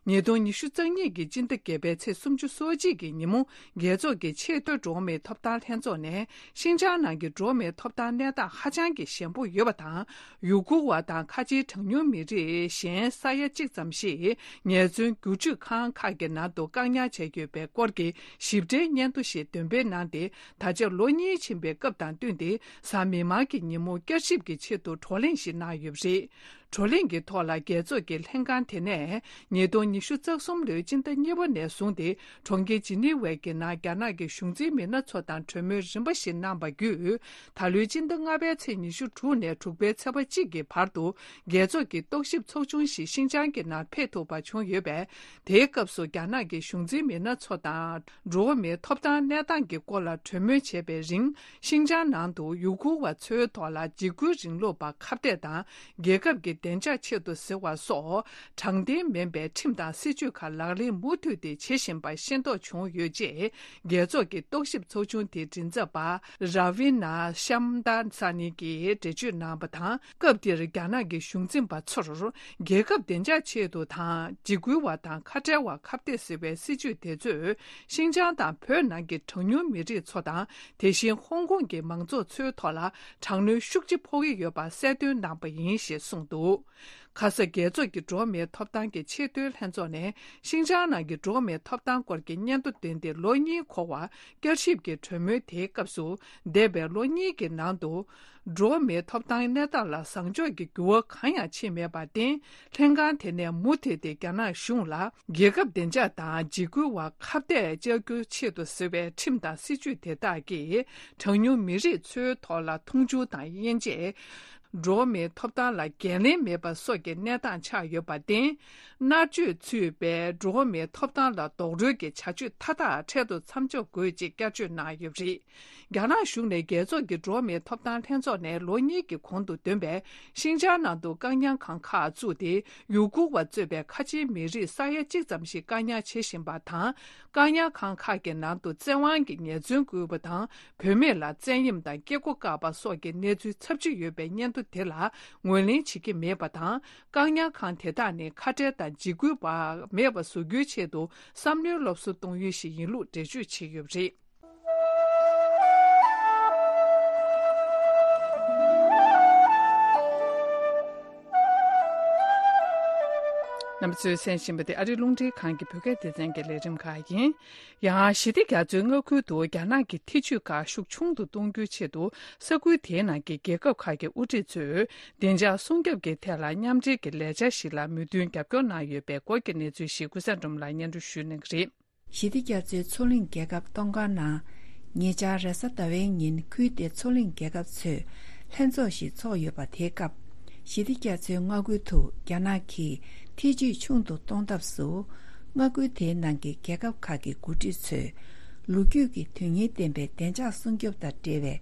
ཉིས་སྟོང་ཉི་ཤུ་རྩ་གཉིས་ཀྱི་སྤྱི་ཟླ་བརྒྱད་པའི་ཚེས་སུམ་ཅུ་སོ་གཅིག་གི་ཉིན་མོ། རྒྱལ་ཚོགས་ཀྱི་ཆེས་མཐོའི་འགྲོ་བ་མིའི་ཐོབ་ཐང་ལྷན་ཚོགས་ནས་ཤིན་ཅང་ནང་གི་འགྲོ་བ་མིའི་ཐོབ་ཐང་གནས་སྟངས་ཧ་ཅང་གི་ཞན་པོ་ཡོད་པ་དང་། ཡུ་གུར་བ་དང་ཁ་ཆེའི་གྲངས་ཉུང་མི་རིགས་གཞན་ས་ཡ་གཅིག་ཙམ་ཞིག་ཉེས་བཙུན་བསྒྱུར་བཅོས་ཁང་ཁག་གི་ནང་དུ་བཀག་ཉར་བྱས་ཡོད་པའི་སྐོར་གྱི་ཞིབ་ཕྲའི་སྙན་ཐོ་ཞིག་འདོན་སྤེལ་གནང་སྟེ། ད་ཆ་ལོ་གཉིས་ཕྱིན་པའི་སྐབས་དང་བསྟུན་ཏེ། གཟའ་མིག་དམར་གྱི་ཉིན་མོ་བསྐྱར་ཞིབ་ཀྱི་ཆེད་དུ་བགྲོ་གླེང་ཞིག་གནང་ཡོད་པ་རེད། བགྲོ་གླེང་གི་ཐོག་ལ་རྒྱལ་ཚོགས་ཀྱི་ལྷན་ཁང་དེ་ནས་ཉིས་སྟོང་ཉི་ཤུ་རྩ་གསུམ་ལོའི་སྤྱི་ཟླ་གཉིས་པ་ནས་བཟུང་སྟེ་གྲོང་ཁྱེར་ཇི་ནི་ཝའི་གི་ནང་རྒྱ་ནག་གི་གཞུང་འཛིན་མི་སྣ་ཚོ་དང་གྲོས་མོལ་རིམ་པ་ཞིག་གནང་བ་བརྒྱུད། ད་ལོའི་སྤྱི་ཟླ་ལྔ་པའི་ཚེས་ཉི་ཤུ་དྲུག་ནས་དྲུག་པའི་ཚེས་པ་གཅིག་གི་བར་དུ་རྒྱལ་ཚོགས་ཀྱི་རྟོག་ཞིབ་ཚོགས་ཆུང་ཞིག་ཤིན་ཅང་གི་ནང་ཕེབས་ཐུབ་པ་བྱུང་ཡོད་པས། དེའི་སྐབས་སུ་རྒྱ་ནག་གི་གཞུང་འཛིན་མི་སྣ་ཚོ་དང་འགྲོ་བ་མིའི་ཐོབ་ཐང་གནས་སྟངས་ཀྱི་སྐོར་ལ་གྲོས་མོལ་བྱས་པའི་རིང་། ཤིན་ཅང་ནང་དུ་ཡུ་གུར་བ་ཚོའི་ཐོག་ལ་འཇིགས་སྐུལ་རིང་ལུགས་པ་ཁ་གཏད་དང་། རྒྱལ་ཁབ་ཀྱི་བདེ་འཇགས་ཆེད་དུ་ཟེར་བ་སོགས་དྲང་བདེན་མིན་པའི་ཁྲིམས་དང་སྲིད་ཇུས་ཁག་ལག་ལེན་མུ་མཐུད་དེ་བྱེད་བཞིན་པ་ཤེས་རྟོགས་བྱུང་ཡོད་ཅེས། རྒྱལ་ཚོགས་ཀྱི་རྟོག་ཞིབ་ཚོགས་ཆུང་དེའི་མགྲིན་ཚབ་པ་ར་བི་ན་ཤམ་དཱ་ས་ནི་གིས་འགྲེལ་བརྗོད་གནང་བ་དང་། སྐབས་དེར་རྒྱ་ནག་གི་གཞུང་འཛིན་པ་ཚོར་རྒྱལ་ཁབ་བདེ་འཇགས་ཆེད་དུ་དང་འཇིགས་སྐུལ་བ་དང་ཁ་བྲལ་བ་ཁ་གཏད་ཟེར་བའི་སྲིད་ཇུས་དེ་ཚོས་ཤིན་ཅང་དང་བོད་ནང་གི་གྲངས་ཉུང་མི་རིགས་ཚོ་དང་། དེ་བཞིན་ཧོང་ཀོང་གི་མང་ཚོགས་ཚོའི་ཐོག་ལ་དྲག་གནོན་ཤུགས་ཆེ་ཕོག་གི་ཡོད་པ་གསལ་སྟོན་གནང་པ་ཡིན་ཞེས་གསུངས་འདུག་ཁ་ས་རྒྱལ་ཚོགས་ཀྱི་འགྲོ་བ་མིའི་ཐོབ་ཐང་གི་ཆེས་མཐོའི་ལྷན་ཚོགས་ནས་ཤིན་ཅང་ནང་གི་འགྲོ་བ་མིའི་ཐོབ་ཐང་སྐོར་གྱི་སྙན་ཐོ་བཏོན་ཏེ་ལོ་གཉིས་འཁོར་བ་བསྐྱར་ཞིབ་ཀྱི་གྲོས་མོལ་དེའི་སྐབས་སུ། འདས་པའི་ལོ་གཉིས་ཀྱི་ནང་དུ། འགྲོ་བ་མིའི་ཐོབ་ཐང་གནས་སྟངས་ལ་བཟང་ཕྱོགས་ཀྱི་འགྱུར་བ་གང་ཡང་ཕྱིན་མེད་པར་བརྟེན། ལྷན་ཁང་དེ་ནས་མུ་མཐུད་དེ་རྒྱ་ནག་གཞུང་ལ་རྒྱལ་ཁབ་བདེ་འཇགས་དང་འཇིགས་སྐུལ་བ་ཁ་གཏད་བཅག་རྒྱུའི་ཆེད་དུ་བཟོས་པའི་ཁྲིམས་དང་སྲིད་ཇུས་དེ་དག་གིས་གྲངས་ཉུང་མི་རིགས་ཚོའི་ཐོག་ལ་མཐོང་ཆུང་དང་དབྱེ་འབྱེད། འགྲོ་བ་མིའི་ཐོབ་ཐང་ལ་འགན་ལེན་མེད་པ་སོགས་ཀྱི་གནས་སྟངས་ཆགས་ཡོད་པར་བརྟེན། མནར་གཅོད་ཚུད་པའི་འགྲོ་བ་མིའི་ཐོབ་ཐང་ལ་རྡོག་རོལ་གྱི་བྱ་སྤྱོད་མཐའ་དག་འཕྲལ་དུ་མཚམས་འཇོག་དགོས་ཅེས་བསྐྱར་བརྗོད་གནང་ཡོད་པ་རེད། རྒྱ་ནག་གཞུང་ནས་རྒྱལ་ཚོགས་ཀྱི་འགྲོ་བ་མིའི་ཐོབ་ཐང་ལྷན་ཚོགས་ནས་ལོ་གཉིས་ཀྱི་གོང་དུ་བཏོན་པའི་ཤིན་ཅང་ནང་དུ་བཀག་ཉར་ཁང་ཁག་བཙུགས་ཏེ། ཡུ་གུར་བ་གཙོས་པའི་ཁ་ཆེའི་མི་རིགས་ས་ཡ་གཅིག་ཙམ་ཞིག་བཀག་ཉར་བྱེད་བཞིན་པ་དང་། བཀག་ཉར་ཁང་ཁག་གི་ནང་དུ་བཙན་དབང་གིས་ཉེས་བཙུན་བཀོལ་བ་དང་། བུད་མེད་ལ་བཙན་གཡེམ་དང་སྐྱེ་སྒོ་བཀག་པ་སོགས་ཀྱི་གནས་ཚུལ་ཚབས་ཆེ་ཡོད་པའི་སྙན་ཐོ་དེ་ལ་ངོས་ལེན་བྱེད་ཀྱི་མེད་པ་དང་། བཀག་ཉར་ཁང་དེ་དག་ནི་ཁ་བྲལ་དང་འཇིགས་སྐུལ་བ་མེད་པ་བཟོ་རྒྱུའི་ཆེད་དུ་བསམ་བློའི་སློབ་གསོ་གཏོང་ཡུལ་ཞིག་ཡིན་ལུགས་འགྲེལ་བརྗོད་བྱས་ཡོད་པ་རེད། རྣམ་པ་ཚོས་གསན་བཞིན་པ་དེ་ཨ་རིའི་རླུང་འཕྲིན་ཁང་གི་བོད་སྐད་སྡེ་ཚན་གྱི་ལས་རིམ་ཁག་ཡིན། ཡང་ཞི་བདེ་རྒྱ་མཚོའི་མངའ་ཁུལ་དུ་རྒྱ་ནག་གི་ཐེ་ཇུས་ཁག་ཤུགས་ཆུང་དུ་གཏོང་རྒྱུའི་ཆེད་དུ་ས་ཁུལ་དེའི་ནང་གི་རྒྱལ་ཁབ་ཁག་གི་དབུ་ཁྲིད་ཚོས་བདེ་འཇགས་སྲུང་སྐྱོབ་ཀྱི་ཐད་ལ་མཉམ་འབྲེལ་གྱི་ལས་འཆར་ཞིག་ལ་མོས་མཐུན་རྒྱབ་སྐྱོར་གནང་ཡོད་པའི་སྐོར་གྱི་གནས་ཚུལ་ཞིག་ཀུན་བཟང་སྒྲོལ་མ་ལགས་སྙན་སྒྲོན་ཞུ་གནང་གི་རེད། ཞི་བདེ་རྒྱ་མཚོའི་མཚོ་གླིང་རྒྱལ་ཁབ་ཏོང་ཀ་ནང་ཉེ་ཆར་རེས་གཟའ་ཟླ་བའི་ཉིན་ཁུལ་དེའི་མཚོ་གླིང་རྒྱལ་ཁབ་ཚོས་ལྷན་ཚོགས་ཤིག་ཚོགས་ཡོད་པ། དེའི་སྐབས་ཞི་བདེ་རྒྱ་མཚོའི་མངའ་ཁུལ་དུ་རྒྱ་ནག་གིས་ཐེ་ཇུས་ཆུང་དུ་གཏོང་ཐབས་སུ། མངའ་ཁུལ་དེའི་ནང་གི་རྒྱལ་ཁབ་ཁག་གི་འགོ་ཁྲིད་ཚོས་ལོ་རྒྱུས་ཀྱི་དོན་སྙིང་ལྡན་པའི་བདེ་འཇགས་སྲུང་སྐྱོབ་དང་འབྲེལ་བའི་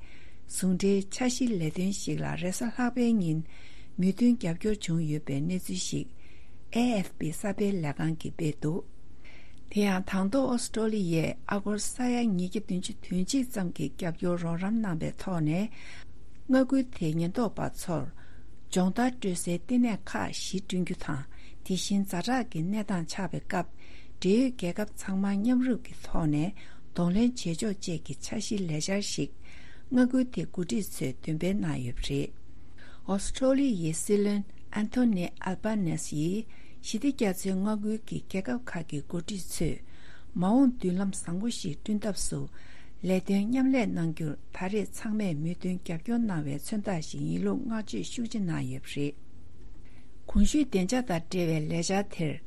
ཟུང་འབྲེལ་འཆར་གཞིའི་ལས་དོན་ཞིག་ལ་རེས་གཟའ་ལྷག་པའི་ཉིན་མོས་མཐུན་རྒྱབ་སྐྱོར་བྱུང་ཡོད་པའི་གནས་ཚུལ་ཞིག་ཨེ་ཨེཕ་པི་གསར་སྤེལ་ལས་ཁང་གིས་སྤེལ་འདུག་དེ་ཡང་དང་ཐོག་ཨོ་སི་ཀྲོ་ལི་ཡས་ཨ་སྒོར་ས་ཡ་ཉིས་བརྒྱ་བདུན་ཅུ་དོན་གཅིག་ཙམ་གྱི་རྒྱབ་སྐྱོར་རོགས་རམ་གནང་བའི་ཐོག་ནས། མངའ་ཁུལ་དེའི་ཉེན་རྟོག་པ་ཚོར་སྦྱོང་བརྡར་སྤྲོད་སའི་བསྟི་གནས་ཁག་བཞི་བསྐྲུན་རྒྱུ་དང་། དེ་བཞིན་ཛ་དྲག་གི་གནས་སྟངས་ཆགས་པའི་སྐབས་འབྲེལ་ཡོད་རྒྱལ་ཁབ་ཚང་མ་མཉམ་རུབ་ཀྱི་ཐོག་ནས་གདོང་ལེན་བྱེད་ཕྱོགས་བཅས་ཀྱི་འཆར་གཞིའི་ལས་འཆར་ཞིག་མངའ་ཁུལ་དེའི་འགོ་ཁྲིད་ཚོས་འདོན་སྤེལ་གནང་ཡོད་པ་རེད། ཨོ་སི་ཀྲོ་ལི་ཡའི་སྲིད་བློན་ཨན་ཐོ་ནི་ཨལ་བྷ་ནེ་སི་ཡིས་ཞི་བདེ་རྒྱ་མཚོའི་མངའ་ཁུལ་གྱི་རྒྱལ་ཁབ་ཁག་གི་འགོ་ཁྲིད་ཚོས་མ་འོངས་མདུན་ལམ་བཟང་པོ་ཞིག་བསྐྲུན་ཐབས་སུ་ལས་དོན་མཉམ་ལས་གནང་རྒྱུར་ད་རེས་ཚང་མས་མོས་མཐུན་རྒྱབ་སྐྱོར་གནང་བའི་མཚོན་རྟགས་ཤིག་ཡིན་ལུགས་བསྔགས་བརྗོད་ཤུགས་ཆེ་གནང་ཡོད་པ་རེད། གོང་ཞུས་བདེ་འཇགས་དང་འབྲེལ་བའི་ལས་འཆར་དེར།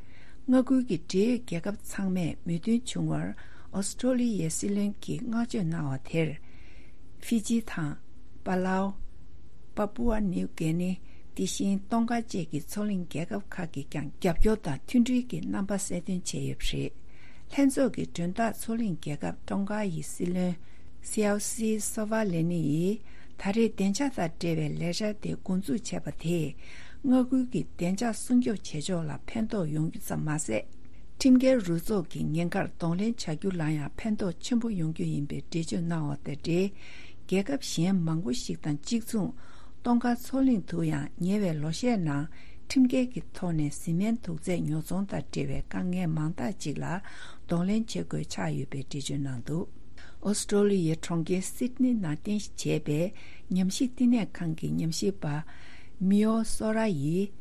མངའ་ཁུལ་གྱི་འབྲེལ་ཡོད་རྒྱལ་ཁབ་ཚང་མས་མོས་མཐུན་བྱུང་བར་ཨོ་སི་ཀྲོ་ལི་ཡའི་སྲིད་བློན་གྱིས་བསྔགས་བརྗོད་གནང་བ་དེར། ཧྥི་ཇི་དང་། པ་ལའོ། པ་པུ་ཨ་ནིའུ་གྷི་ནི། དེ་བཞིན་ཏོང་ཀ་བཅས་ཀྱི་མཚོ་གླིང་རྒྱལ་ཁབ་ཁག་གིས་ཀྱང་རྒྱབ་སྐྱོར་དང་མཐུན་སྒྲིལ་གྱི་རྣམ་པ་གསལ་སྟོན་བྱས་ཡོད་པ་རེད། ལྷན་ཚོགས་ཀྱི་མགྲོན་བདག་མཚོ་གླིང་རྒྱལ་ཁབ་ཏོང་ཀ་ཡི་སྲིད་བློན་སེའོ་སི་སོ་ཝ་ལེ་ནི་ཡིས། ད་རེས་བདེ་འཇགས་དང་འབྲེལ་བའི་ལས་འཆར་དེ་འགོ་འཛུགས་བྱས་པ་དེས། མངའ་ཁུལ་གྱི་བདེ་འཇགས་སྲུང་སྐྱོབ་བྱེད་ཕྱོགས་ལ་ཕན་ཐོགས་ཡོང་རྒྱུ་ཙམ་མ་ཟད། ཁྲིམས་འགལ་རུ་ཚོགས་ཀྱི་ཉེན་ཁར་གདོང་ལེན་བྱ་རྒྱུ་ལ་ཡང་ཕན་ཐོགས་ཆེན་པོ་ཡོང་རྒྱུ་ཡིན་པའི་འགྲེལ་བརྗོད་གནང་བ་དང་འབྲེལ། རྒྱལ་ཁབ་གཞན་མང་པོ་ཞིག་དང་གཅིག་མཚུངས། ཏོང་ཀ་མཚོ་གླིང་དུ་ཡང་ཉེ་བའི་ལོ་ཤས་ནང་ཁྲིམས་འགལ་གྱི་ཐོག་ནས་བཟི་སྨན་དུག་རྫས་ཉོ་ཚོང་དང་འབྲེལ་བའི་དཀའ་ངལ་མང་དག་ཅིག་ལ་གདོང་ལེན་བྱེད་དགོས་ཆགས་ཡོད་པའི་འགྲེལ་བརྗོད་གནང་འདུག་ཨོ་སི་ཀྲོ་ལི་ཡའི་གྲོང་ཁྱེར་སིད་ནི་ནང་རྟེན་གཞི་བྱས་པའི་ཉམས་ཞིབ་བསྟི་གནས་ཁང་གི་ཉམས་ཞིབ་པ་མིའོ་སོ་ར་ཡིས།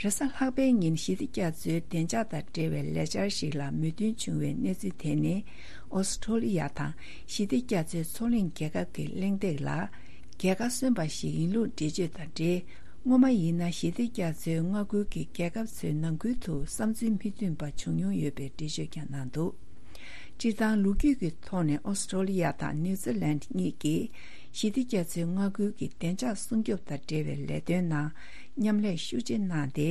རེས་གཟའ་ལྷག་པའི་ཉིན་ཞི་བདེ་རྒྱ་མཚོའི་བདེ་འཇགས་དང་འབྲེལ་བའི་ལས་འཆར་ཞིག་ལ་མོས་མཐུན་བྱུང་བའི་གནས་ཚུལ་དེ་ནི། ཨོ་སི་ཀྲོ་ལི་ཡ་དང་ཞི་བདེ་རྒྱ་མཚོའི་མཚོ་གླིང་རྒྱལ་ཁབ་ཀྱི་གླེང་སྟེགས་ལ་རྒྱལ་ཁ་སོན་པ་ཞིག་ཡིན་ལུགས་འགྲེལ་བརྗོད་དང་འབྲེལ། སྔོན་མ་ཡིན་ན་ཞི་བདེ་རྒྱ་མཚོའི་མངའ་ཁུལ་གྱི་རྒྱལ་ཁབ་ཚོའི་ནང་ཁུལ་དུ་བསམ་ཚུལ་མི་མཐུན་པ་བྱུང་མྱོང་ཡོད་པའི་འགྲེལ་བརྗོད་ཀྱང་གནང་འདུག་སྤྱིར་བཏང་ལོ་རྒྱུས་ཀྱི་ཐོག་ནས་ཨོ་སི་ཀྲོ་ལི་ཡ་དང་ནིའུ་ཛི་ལན་གཉིས་ཀྱིས་ཞི་བདེ་རྒྱ་མཚོའི་མངའ་ཁུལ་གྱི་བདེ་འཇགས་སྲུང་སྐྱོབ་དང་འབྲེལ་བའི་ལས་དོན་ནང་མཉམ་ལས་ཤུགས་ཆེ་གནང་སྟེ།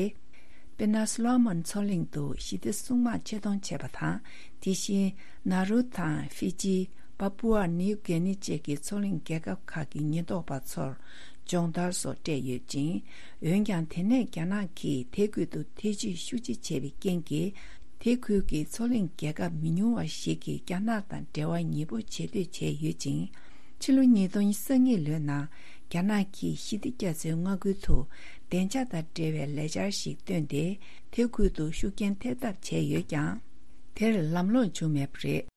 དཔེར་ན། སོ་ལོ་མོན་མཚོ་གླིང་དུ་ཞི་བདེ་སྲུང་དམག་ཆེད་གཏོང་བྱས་པ་དང་། དེ་བཞིན་ནཱ་རུ་དང་ཧྥི་ཇི། པ་པུ་ཨ་ནིའུ་གྷི་ནི་བཅས་ཀྱི་མཚོ་གླིང་རྒྱལ་ཁབ་ཁག་གི་ཉེན་རྟོག་པ་ཚོར་སྦྱོང་བརྡར་སོགས་སྤྲད་ཡོད་ཅིང་། འོན་ཀྱང་། དེ་ནས་རྒྱ་ནག་གིས་དེ་ཁུལ་དུ་ཐེ་ཇུས་ཤུགས་ཆེ་བྱས་པའི་རྐྱེན་གྱིས། དེ་ཁུལ་གྱི་མཚོ་གླིང་རྒྱལ་ཁབ་མི་ཉུང་བ་ཞིག་གིས་རྒྱ་ནག་དང་འབྲེལ་བ་ཉེ་པོ་བྱེད་འདོད་བྱས་ཡོད་ཅིང་། ཕྱི་ལོ་ཉིས་སྟོང་ཉེར་གཉིས་ལོའི་ནང་རྒྱ་ནག་གིས་ཞི་བདེ་རྒྱ་མཚོའི་མངའ་ཁུལ་དུ་བདེ་འཇགས་དང་འབྲེལ་བའི་ལས་འཆར་ཞིག་བཏོན་ཏེ། དེ་ཁུལ་དུ་ཤུགས་རྐྱེན་ཐེབས་ཐབས་བྱས་ཡོད་ཀྱང་། དེར་ལམ་ལྷོང་བྱུང་མེད་པ་རེད།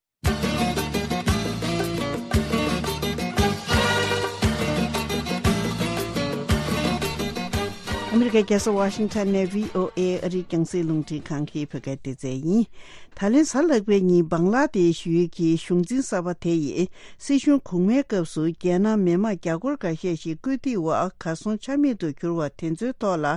ཨ་མི་རི་ཀའི་རྒྱལ་ས་ཝ་ཤིང་ཊོན་ནས་བྷི་ཨོ་ཨེ་ཨ་རིའི་རྒྱང་སྲིང་རླུང་འཕྲིན་ཁང་གི་བོད་སྐད་སྡེ་ཚན་ཡིན། ད་ལན་གཟའ་ལྷག་པའི་ཉིན་བང་ལ་དེ་ཤི་ཡུལ་གྱི་གཞུང་འཛིན་གསར་པ་དེ་ཡིས་སྲིད་གཞུང་གོང་མའི་སྐབས་སུ་རྒྱལ་ནང་མི་མང་རྒྱ་སྒོར་འགའ་ཤས་ཤིག་བཀོད་སྒྲིག་འོག་གར་སོང་ཆ་མེད་དུ་གྱུར་བ་དེ་ཚོའི་ཐོག་ལ་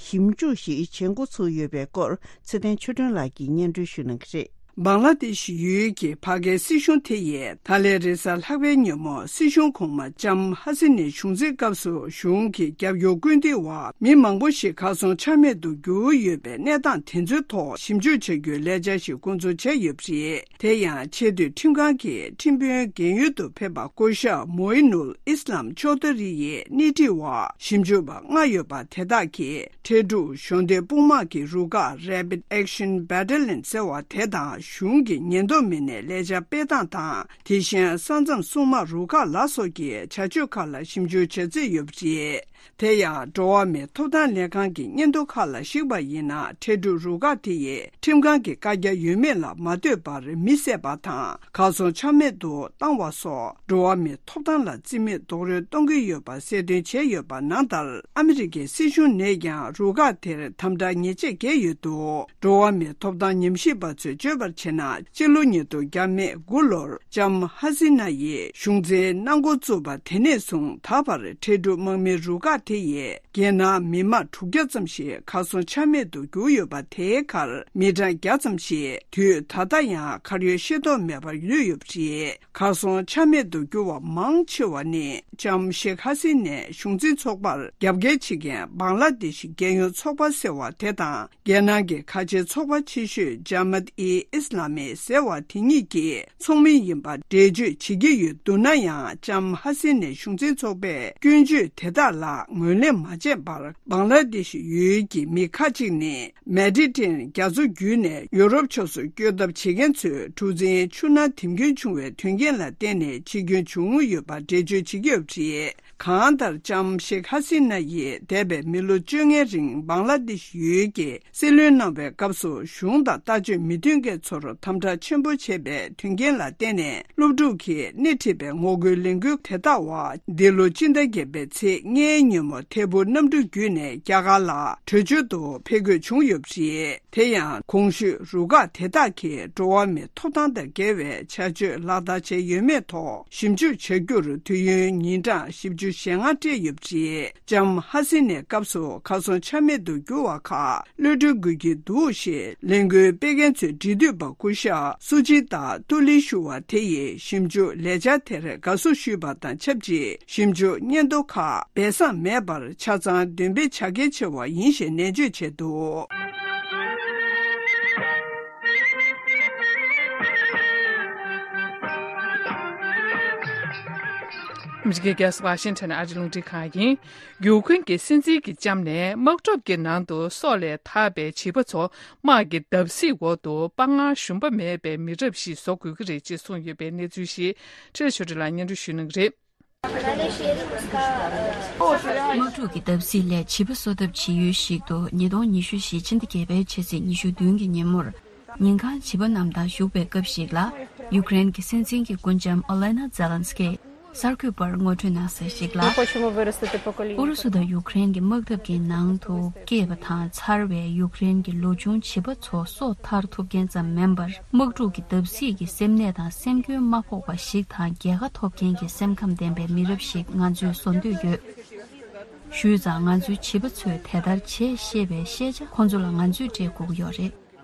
ཞིབ་འཇུག་ཞིག་བྱེད་འགོ་ཚུགས་ཡོད་པའི་སྐོར་ཚེ་བརྟན་ཆོས་སྒྲོན་ལགས་ཀྱིས་སྙན་སྒྲོན་ཞུ་གནང་གི་རེད། བང་ལ་དེ་ཤི་ཡུལ་གྱི་ཕ་གིའི་སྲིད་གཞུང་དེ་ཡིས་ད་ལན་རེས་གཟའ་ལྷག་པའི་ཉིན་མོ་སྲིད་གཞུང་གོང་མ་ལྕམ་ཧ་སི་ནའི་གཞུང་འཛིན་སྐབས་སུ་གཞུང་གི་རྒྱབ་སྐྱོར་བཀོད་འདོམས་འོག་མི་མང་པོ་ཞིག་གར་སོང་ཆ་མེད་དུ་གྱུར་ཡོད་པའི་གནས་སྟངས་དེ་ཚོའི་ཐོག་ཞིབ་འཇུག་བྱ་རྒྱུའི་ལས་འཆར་ཞིག་འགོ་འཛུགས་བྱས་ཡོད་པ་རེད། དེ་ཡང་ཆེས་མཐོའི་ཁྲིམས་ཁང་གིས་ཁྲིམས་དཔོན་རྒན་ཡོལ་དུ་ཕེབས་པ་སྐུ་ཞབས་མོ་ཨི་ནུལ་ཨིས་ལམ་ཅོ་དྷ་རི་ཡི་སྣེ་ཁྲིད་འོག་ཞིབ་འཇུག་པ་ལྔ་ཡོད་པ་དེ་དག་གིས། འཕྲལ་སྒྲུག་གཞོགས་འདེགས་དཔུང་དམག་གི་རུ་ཁག་Rapid Action Battalion ཟེར་བ་དེ་དང་གཞུང་གི་ཉེན་རྟོག་མི་སྣས་ལས་འཆར་སྤེལ་སྟངས་དང་། དེ་བཞིན་ས་མཚམས་སྲུང་དམག་རུ་ཁག་ལ་སོགས་ཀྱི་བྱ་སྤྱོད་ཁག་ལ་ཞིབ་འཇུག་བྱ་རྩིས་ཡོད་པ་རེད། དེ་ཡང་འགྲོ་བ་མིའི་ཐོབ་ཐང་ལྷན་ཁང་གི་སྙན་ཐོ་ཁག་ལ་གཞིགས་པ་ཡིན་ན། འཕྲལ་སྒྲུག་རུ་ཁག་དེ་ཡིས་ཁྲིམས་ཁང་གི་བཀའ་རྒྱ་ཡོད་མེད་ལ་མ་ལྟོས་པར་མི་བསད་པ་དང་གར་སོང་ཆ་མེད་དུ་བཏང་བ་སོགས། འགྲོ་བ་མིའི་ཐོབ་ཐང་ལ་བརྩི་མེད་རྡོག་རོལ་གཏོང་གི་ཡོད་པ་གསལ་སྟོན་བྱས་ཡོད་པ་ནང་ལྟར། ཨ་མི་རི་ཀའི་སྲིད་གཞུང་ནས་ཀྱང་རུ་ཁག་དེར་དམ་དྲག་ཉེས་ཆད་འགེལ་ཡོད་འདུག་འགྲོ་བ་མིའི་ཐོབ་ཐང་ཉམས་ཞིབ་པ་ཚོས་བརྗོད་པར་བྱས་ན། སྤྱི་ལོ་ཉིས་སྟོང་དགུ་ལོར་ལྕམ་ཧ་སི་ན་ཡིས་གཞུང་འཛིན་གནང་འགོ་བཙུགས་པ་དེ་ནས་བཟུང་ད་བར་འཕྲལ་སྒྲུག་དམག་མིའི་རུ་ཁག་དེ་ཡིས། རྒྱལ་ནང་མི་མང་དྲུག་བརྒྱ་ཙམ་ཞིག་གར་སོང་ཆ་མེད་དུ་གྱུར་ཡོད་པ། དེའི་ཁར་མི་གྲངས་བརྒྱ་ཙམ་ཞིག་དུས་ད་ལྟ་ཡང་གར་ཡོད་ཤེས་རྟོགས་མེད་པར་ལུས་ཡོད་པ་རེད། གར་སོང་ཆ་མེད་དུ་གྱུར་བ་མང་ཆེ་བ་ནི། ལྕམ་ཤེག་ཧ་སི་ནའི་གཞུང་འཛིན་ཚོགས་པར་རྒྱབ་འགལ་བྱེད་མཁན་བང་ལ་དེ་ཤི་རྒྱལ་ཡོངས་ཚོགས་པ་ཟེར་བ་དེ་དང་། རྒྱལ་ནང་གི་ཁ་ཆེའི་ཚོགས་པ་ཆེ་ཤོས་ཇ་མད་ཨི་ཨིས་ལ་མི་ཟེར་བ་དེ་གཉིས་ཀྱི་ཚོགས་མི་ཡིན་པ་འགྲེལ་བརྗོད་བྱེད་ཀྱི་ཡོད་འདུག་ན་ཡང་། ལྕམ་ཧ་སི་ནའི་གཞུང་འཛིན་ཚོགས་པས་སྐྱོན་བརྗོད་དེ་དག་ལ་ངོས་ལེན་མ་བྱས་པར། བང་ལ་དེ་ཤི་ཡུལ་གྱི་མི་ཁག་ཅིག་ནི། མེ་ཌི་ཊེ་རེ་ནི་ཡན་རྒྱ་མཚོ་བརྒྱུད་ནས་ཡོ་རོབ་ཕྱོགས་སུ་བསྐྱོད་ཐབས་བྱེད་མཁན་ཚོས་གྲུ་གཟིངས་ཆུ་ནང་འཐིམ་སྐྱོན་བྱུང་བའི་དོན་རྐྱེན་ལ་བརྟེན་ནས་འཆི་སྐྱོན་བྱུང་ཡོད་པ་འགྲེལ་བརྗོད་བྱེད་ཀྱི་ཡོད་པ་རེད། གང་ལྟར་ལྕམ་ཤེག་ཧ་སི་ན་ཡིས་འདས་པའི་མི་ལོ་བཅོ་ལྔའི་རིང་བང་ལ་དེ་ཤི་ཡུལ་གྱི་སྲིད་བློན་གནང་བའི་སྐབས་སུ་གཞུང་དང་ལྟ་སྤྱོད་མི་མཐུན་མཁན་ཚོར་དམ་དྲག་ཆེན་པོ་བྱས་པའི་དོན་རྐྱེན་ལ་བརྟེན་ནས། སློབ་ཕྲུག་གིས་སྣེ་ཁྲིད་པའི་ངོ་རྒོལ་ལས་འགུལ་དེ་དག་འོག་འདི་ལོ་སྤྱི་ཟླ་བརྒྱད་པའི་ཚེས་ལྔའི་ཉིན་མོ་ཐད་འཕུར་གནམ་གྲུ་བརྒྱུད་ནས་རྒྱ་གར་ལ་བྲོས་བྱོལ་དུ་ཕེབས་དགོས་བྱུང་ཡོད་པ་རེད། དེ་ཡང་གོང་ཞུས་རུ་ཁག་དེ་དག་གིས་འགྲོ་བ་མིའི་ཐོབ་ཐང་དང་འགལ་བའི་བྱ་སྤྱོད་ལག་བསྟར་བྱས་ཡོད་མེད་ཐོག་ཞིབ་འཇུག་བྱ་རྒྱུར་དུས་ཡུན་ཉིན་གྲངས་བཞི་བཅུ་ཞེ་ལྔ་སྤྲད་ཡོད་པ་རེད། ལྕམ་ཧ་སི་ནའི་སྐབས་སུ་གར་སོང་ཆ་མེད་དུ་གྱུར་བ་ཁག་གློད་གྲོལ་དགོས་ཀྱི་འདུག་ཞེས་ལས་འགུལ་སྤེལ་མཁན་ཚོའི་འབྲེལ་མཐུད་པ་སྐུ་ཞབས་སུ་ཇི་ཏཱ་ཏུ་ལི་ཞུ་བ་དེ་ཡིས་ཞིབ་འཇུག་ལས་འཆར་དེར་དགའ་བསུ་ཞུས་པ་དང་ཆབས་ཅིག་ཞིབ་འཇུག་སྙན་ཐོ་ཁག་སྦས་གསང་མེད་པར་ཆ་ཚང་འདོན་སྤེལ་བྱ་གལ་ཆེ་བ་ཡིན་ཞེས་ནན་བརྗོད་བྱས་འདུག་ཨ་མི་རི་ཀའི་རྒྱལ་ས་ཝ་ཤིང་ཊོན་ཨ་རིའི་རླུང་འཕྲིན་ཁང་ཡིན། ཡུཀ་རེན་གྱི་སྲིད་འཛིན་གྱི་ལྕམ་ནས་དམག་གྲབས་ཀྱི་ནང་དུ་སྲོག་ལས་ཐར་པའི་བྱིས་པ་ཚོ་དམག་གི་བརྡབ་གསིག་འོག་ཏུ་དཔའ་ངར་ཞུམ་པ་མེད་པའི་མི་རབས་ཤིག་བཟོ་དགོས་ཀྱི་རེད་ཅེས་གསུངས་ཡོད་པའི་གནས་ཚུལ་ཞིག་ཁྲི་ལ་ཆོས་སྒྲོན་ལགས་སྙན་སྒྲོན་ཞུ་གནང་གི་རེད། དམག་འཁྲུག་གི་བརྡབ་གསིག་ལས་བྱིས་པ་གསོ་ཐབས་བྱེད་ཡུལ་ཞིག་ཏུ་ཉིས་སྟོང་ཉི་ཤུ་བཞི་ཕྱི་ཟླ་བརྒྱད་པའི་ཕྱི་ཚེས་ཉི་ཤུ་བདུན་གྱི་ཉིན་མོར། ཉིན་གང་བྱིས་པ་རྣམས་དང་བཞུགས་པའི་སྐབས་ཤིག་ལ། ཡུཀ་རེན་གྱི་སྲིད་འཛིན་གྱི་སྐུ་ལྕམ་ཨོ་ལེ་ན་ཛེ་ལན་སི་ཀི་གསར་འགོད་པར་ངོ་སྤྲོད་གནང་གསལ་ཞིག་ལ། ཨུ་རུ་སུ་དང་ཡུཀ་རེན་གྱི་དམག་འཐབ་ཀྱི་ནང་དུ་སྐྱེས་པ་དང་འཚར་བའི་ཡུཀ་རེན་གྱི་ལོ་ཆུང་བྱིས་པ་ཚོ་སྲོག་ཐར་ཐུབ་མཁན་ཙམ་མིན་པར། དམག་འཁྲུག་གི་བརྡབ་གསིག་གི་སེམས་ནད་དང་སེམས་སྐྱོན་མ་ཕོག་པ་ཞིག་དང་རྒྱལ་ཁ་ཐོབ་མཁན་གྱི་སེམས་ཁམས་ལྡན་པའི་མི་རབས་ཤིག་ང་ཚོས་བཟོ་འདོད་ཡོད། ཞུས་ཙང་ང་ཚོའི་བྱིས་པ་ཚོས་དེ་ལྟར་བྱེད་ཤེས་པའི་ཤེས་བྱ་ཁོང་ཚོ་ལ་ང་ཚོས་སྤྲད་དགོས་ཀྱི་ཡོད་རེད།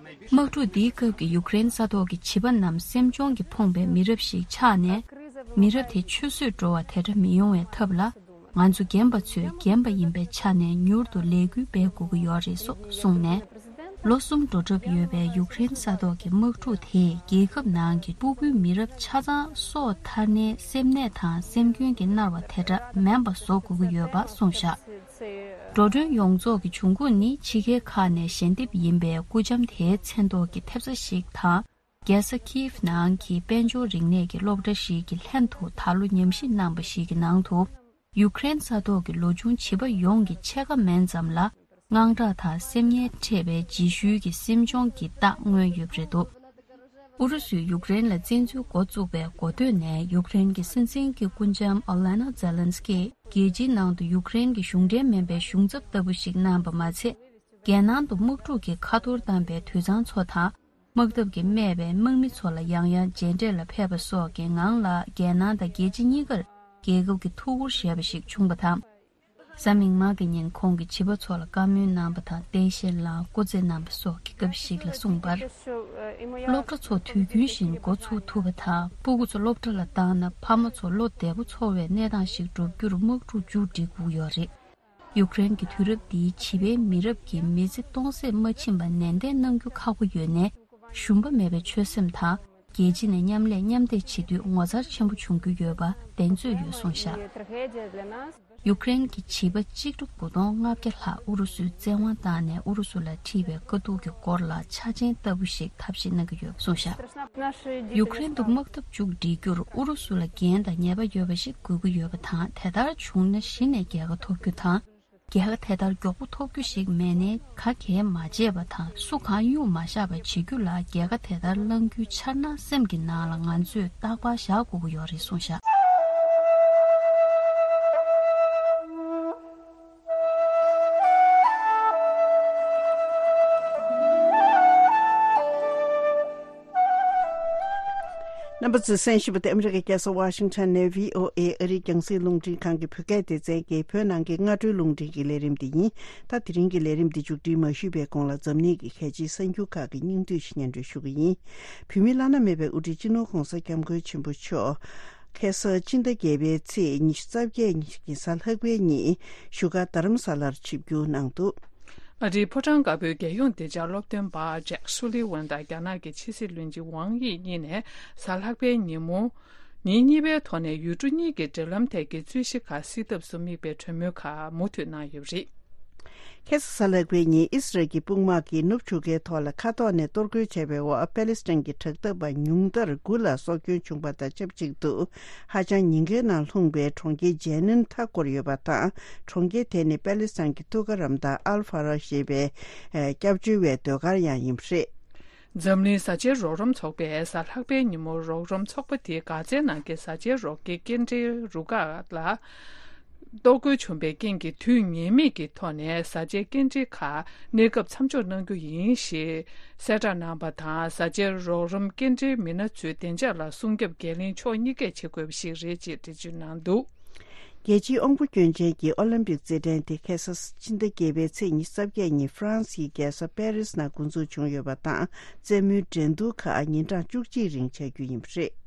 དམག་འཁྲུག་འདིའི་སྐབས་ཀྱི་ཡུཀ་རེན་ས་ཐོག་གི་བྱིས་པ་རྣམས་སེམས་གཅོང་གིས་ཕོངས་པའི་མི་རབས་ཤིག་ཆགས་ནས། མི་རབས་དེ་ཆུད་ཟོས་འགྲོ་བ་དེ་འདྲ་མི་ཡོང་བའི་ཐབས་ལ། ང་ཚོ་རྒན་པ་ཚོས་རྒན་པ་ཡིན་པའི་ཆ་ནས་མྱུར་དུ་ལས་འགུལ་སྤེལ་དགོས་ཀྱི་ཡོད་རེད་སོགས་གསུངས་ནས། ལོ་གསུམ་འགྲོ་གྲབས་ཡོད་པའི་ཡུཀ་རེན་ས་ཐོག་གི་དམག་འཁྲུག་དེས་རྒྱལ་ཁབ་ནང་གི་སྤུ་གུའི་མི་རབས་ཆ་ཚང་སྲོག་ཐར་ནས་སེམས་ནད་དང་སེམས་སྐྱོན་གྱིས་མནར་བ་དེ་འདྲ་མིན་པ་བཟོ་དགོས་ཀྱི་ཡོད་པ་གསུངས་བཞག་འགྲོ་གྲོན་ཡོངས་རྫོགས་ཀྱི་འབྱུང་ཁུངས་ནི་ཕྱི་རྒྱལ་ཁག་ནས་ཞལ་འདེབས་ཡིན་པའི་སྐུ་ལྕམ་དེའི་མཚན་ཐོག་གི་ཐེབས་རྩ་ཞིག་དང་། རྒྱལ་ས་ཁིའིབ་ནང་གི་དཔལ་འབྱོར་རིག་གནས་ཀྱི་སློབ་གྲྭ་ཞིག་གི་ལྷན་དུ་ད་ལོ་ཉམས་ཞིབ་གནང་པ་ཞིག་གི་ནང་དུ། ཡུཀ་རེན་ས་ཐོག་གི་ལོ་ཆུང་བྱིས་པ་ཡོངས་ཀྱི་ཕྱེད་ཀ་མིན་ཙམ་ལ། དངངས་སྐྲག་དང་སེམས་ངལ་འཕྲད་པའི་རྗེས་ཤུལ་གྱི་སེམས་གཅོང་གི་རྟགས་མངོན་ཡོད་པ་རེད་འདུག་ཨུ་རུ་སུས་ཡུཀ་རེན་ལ་བཙན་འཛུལ་འགོ་བཙུགས་པའི་འགོ་སྟོད་ནས་ཡུཀ་རེན་གྱི་སྲིད་འཛིན་གྱི་སྐུ་ལྕམ་ཨོ་ལེ་ན་ཛེ་ལན་སི་ཀི་རྒྱལ་སྤྱིའི་ནང་དུ་ཡུཀ་རེན་གྱི་གཞུང་འབྲེལ་མིན་པའི་གཞུང་ཚབ་ལྟ་བུ་ཞིག་གནང་པ་མ་ཚད། རྒྱལ་ནང་དུ་དམག་འཁྲུག་གི་ཁ་ཐོར་བཏང་པའི་དུད་ཚང་ཚོ་དང་། དམག་འཐབ་ཀྱིས་རྨས་པའི་དམག་མི་ཚོ་ལ་ཡང་ཡང་མཇལ་འཕྲད་ལ་ཕེབས་པ་སོགས་ཀྱི་ངང་ལ། རྒྱལ་ནང་དང་རྒྱལ་ཕྱི་གཉིས་ཀར་རྒྱལ་ཁབ་ཀྱི་ཐུགས་ཁུར་བཞེས་པ་ཞིག་བྱུང་བ་དང་། གཟའ་མིག་དམར་གྱི་ཉིན་ཁོང་གིས་བྱིས་པ་ཚོ་ལ་བཀའ་མོལ་གནང་བ་དང་། རྟེན་གཞི་བླངས་སྐུ་རྩེད་གནང་བ་སོགས་ཀྱི་སྐབས་ཤིག་ལ་གསུངས་པར། སློབ་གྲྭ་ཚོ་དུས་རྒྱུན་བཞིན་འགོ་ཚུགས་ཐུབ་པ་དང་། སྤུ་གུ་ཚོ་སློབ་གྲྭ་ལ་བཏང་ན། ཕ་མ་ཚོ་བློ་བདེ་པོ་ཚོར་བའི་གནས་སྟངས་ཤིག་བསྒྲུབ་རྒྱུར་དམག་འཁྲུག་མཇུག་སྒྲིལ་དགོས་ཡོད་རེད། ཡུཀ་རེན་གྱི་དུས་རབས་འདིའི་བྱིས་པའི་མི་རབས་ཀྱི་མི་ཚེ་སྟོང་ཟད་མ་ཕྱིན་པ་ནན་ཏན་གནང་རྒྱུ་ཁག་པོ་ཡོད་ནའི། ཞུམ་པ་མེད་པའི་ཆོད་སེམས་དང་། རྒྱལ་སྤྱི་ནས་མཉམ་ལས་མཉམ་འདེགས་བྱེད་དུས་ངོ་མཚར་ཆེན་པོ་བྱུང་རྒྱུ་ཡོད་པ་གདེང་ཚོད་ཡོད་གསུངས་བཞག་ཡུཀ་རེན་གྱི་བྱིས་པ་གཅིག་ཁྲི་དགུ་སྟོང་ལྔ་བརྒྱ་ལྷག་ཨུ་རུ་སུས་བཙན་དབང་བཏང་ནས་ཨུ་རུ་སུ་ལ་འཁྲི་བའི་དཀའ་སྡུག་གི་སྐོར་ལ་འཆར་ཅན་ལྟ་བུ་ཞིག་ཐབས་ཤེས་གནང་གི་ཡོད་གསུངས་བཞག་ཡུཀ་རེན་དུ་དམག་འཐབ་མཇུག་སྒྲིལ་རྒྱུར་ཨུ་རུ་སུ་ལ་འགན་དང་ཉེས་པ་ཡོད་པ་ཞིག་དགོས་ཀྱི་ཡོད་པ་དང་། དེ་ལྟར་བྱུང་ན་གཞི་ནས་རྒྱལ་ཁ་ཐོབ་རྒྱུ་དང་། རྒྱལ་ཁ་དེ་ལྟར་མགྱོགས་པོ་ཐོབ་རྒྱུ་ཞིག་མེད་ནའི། ག་གེ་མ་བྱས་པ་དང་། སུ་གང་གཡུག་མ་བཞག་པ་བྱེད་རྒྱུ་ལ་རྒྱལ་ཁ་དེ་ལྟར་བླང་རྒྱུའི་འཆར་སྣང་སེམས་ཀྱི་ནང་ལ་ང་ཚོས་རྟག་པར་བཞག་དགོས་ཀྱི་ཡོད་རེད་གསུངས་བཞག་རྣམ་པ་ཚོས་གསན་བཞིན་པ་དེ་ཨ་མི་རི་ཀའི་རྒྱལ་ས་ཝ་ཤིང་ཊོན་ནས་བྷི་ཨོ་ཨེ་ཨ་རིའི་རྒྱང་སྲིང་རླུང་འཕྲིན་ཁང་གི་བོད་སྐད་སྡེ་ཚན་གྱི་བོད་ནང་གི་སྔ་དྲོའི་རླུང་འཕྲིན་གྱི་ལས་རིམ་འདི་ཡིན། ད་དེ་རིང་གི་ལས་རིམ་འདི་མཇུག་སྒྲིལ་མ་ཞུས་པའི་གོང་ལ་འཛམ་གླིང་གི་གལ་ཆེའི་གསར་འགྱུར་ཁག་གི་སྙིང་བསྡུས་ཤིག་སྙན་སྒྲོན་ཞུ་གི་ཡིན། བོད་མིའི་བླ་ན་མེད་པའི་དབུ་ཁྲིད་སྤྱི་ནོར་༧གོང་ས་༧སྐྱབས་མགོན་ཆེན་པོ་མཆོག་ཁ་སང་ཕྱི་ཟླ་བརྒྱད་པའི་ཚེས་ཉི་ཤུ་རྩ་བརྒྱད་ཉིན་གྱི་གཟའ་ལྷག་པའི་ཉིན་བཞུགས་སྒར་རྡ་རམ་ས་ལར་ཆིབས་བསྒྱུར་གནང་འདུག་ཨ་རིའི་ཕོ་བྲང་དཀར་པོའི་རྒྱལ་ཡོངས་བདེ་འཇགས་སློབ་སྟོན་པ་ཇེག་སུ་ལི་ཝན་དང་རྒྱ་ནག་གི་ཕྱི་སྲིད་བློན་ཆེན་ཝང་དབྱི་གཉིས་ནས་གཟའ་ལྷག་པའི་ཉིན་མོ། ཉིན་གཉིས་པའི་ཐོག་ནས་ཡུལ་གྲུ་གཉིས་ཀྱི་འབྲེལ་ལམ་ཐད་ཀྱི་རྩོད་གཞི་ཁག་སེལ་ཐབས་སུ་དམིགས་པའི་གྲོས་མོལ་ཁག་མུ་མཐུད་གནང་ཡོད་པ་རེད། ཁ་སང་གཟའ་ལྷག་པའི་ཉིན་ཨི་སི་རལ་གྱི་དཔུང་དམག་གིས་ནུབ་ཆུ་ཁའི་ཐོག་ལ་མཁའ་ཐོག་ནས་གཏོར་རྒོལ་བྱས་པའི་འོག་པེ་ལི་སི་ཐན་གྱི་དྲག་འཐབ་པ་ཉུང་མཐར་དགུ་ལ་སྲོག་སྐྱོན་བྱུང་པ་དང་ཆབས་ཅིག་ཏུ། ཧ་ཅང་ཉེན་ཁའི་ནང་ལྷུང་པའི་གྲོང་ཁྱེར་ཇེ་ནིན་མཐའ་བསྐོར་ཡོད་པ་དང་། གྲོང་ཁྱེར་དེ་ནི་པེ་ལི་སི་ཐན་གྱི་ཐུགས་ཀ་རམ་དང་ཨལ་ཧྥ་ར་ཞེས་པའི་ཨེ་སྐྱབས་བཅོལ་བའི་ཟློས་གར་ཡང་ཡིན་པ་རེད། འཛམ་གླིང་བཟའ་བཅའི་རོགས་རམ་ཚོགས་པས་གཟའ་ལྷག་པའི་ཉིན་མོ་རོགས་རམ་ཚོགས་པ་དེའི་སྒར་རྩར་ནང་གི་བཟའ་བཅའི་རོགས་སྐྱེལ་སྐྱེལ་འདྲེན་རུ་ཁག་ལ་གཏོར་རྒོལ་བྱུང་བའི་རྐྱེན་གྱིས་དུས་ངེས་མེད་ཀྱི་ཐོག་ནས་བཟའ་བཅའི་སྐྱེལ་འདྲེན་ཁག་གནས་སྐབས་མཚམས་འཇོག་གནང་རྒྱུ་ཡིན་ཞེས་གསལ་བསྒྲགས་གནང་པ་དང་། བཟའ་བཅའི་རོགས་རམ་སྐྱེལ་འདྲེན་མི་སྣ་ཚོའི་བདེ་འཇགས་ལ་སྲུང་སྐྱོབ་འགན་ལེན་ཕྱོགས་གཉིས་ཀས་བྱེད་དགོས་པ་ཞིག་རེད་ཅེས་འགྲེལ་བརྗོད་གནང་འདུག་རྒྱལ་སྤྱིའི་དབང་པོ་སྐྱོན་ཅན་གྱི་ཨོ་ལིམ་པིག་རྩེད་འགྲན་དེ་ཁ་སང་ཕྱི་ཟླ་བརྒྱད་པའི་ཚེས་ཉི་ཤུ་རྩ་བརྒྱད་ཉིན་ཧྥ་རན་སིའི་རྒྱལ་ས་པེ་རིས་ནང་འགོ་འཛུགས་བྱུང་ཡོད་པ་དང་། རྩེད་མོའི་འགྲན་བསྡུར་ཁག་ཉིན་གྲངས་བཅུ་གཅིག་རིང་བྱ་རྒྱུ་ཡིན་པ་རེད།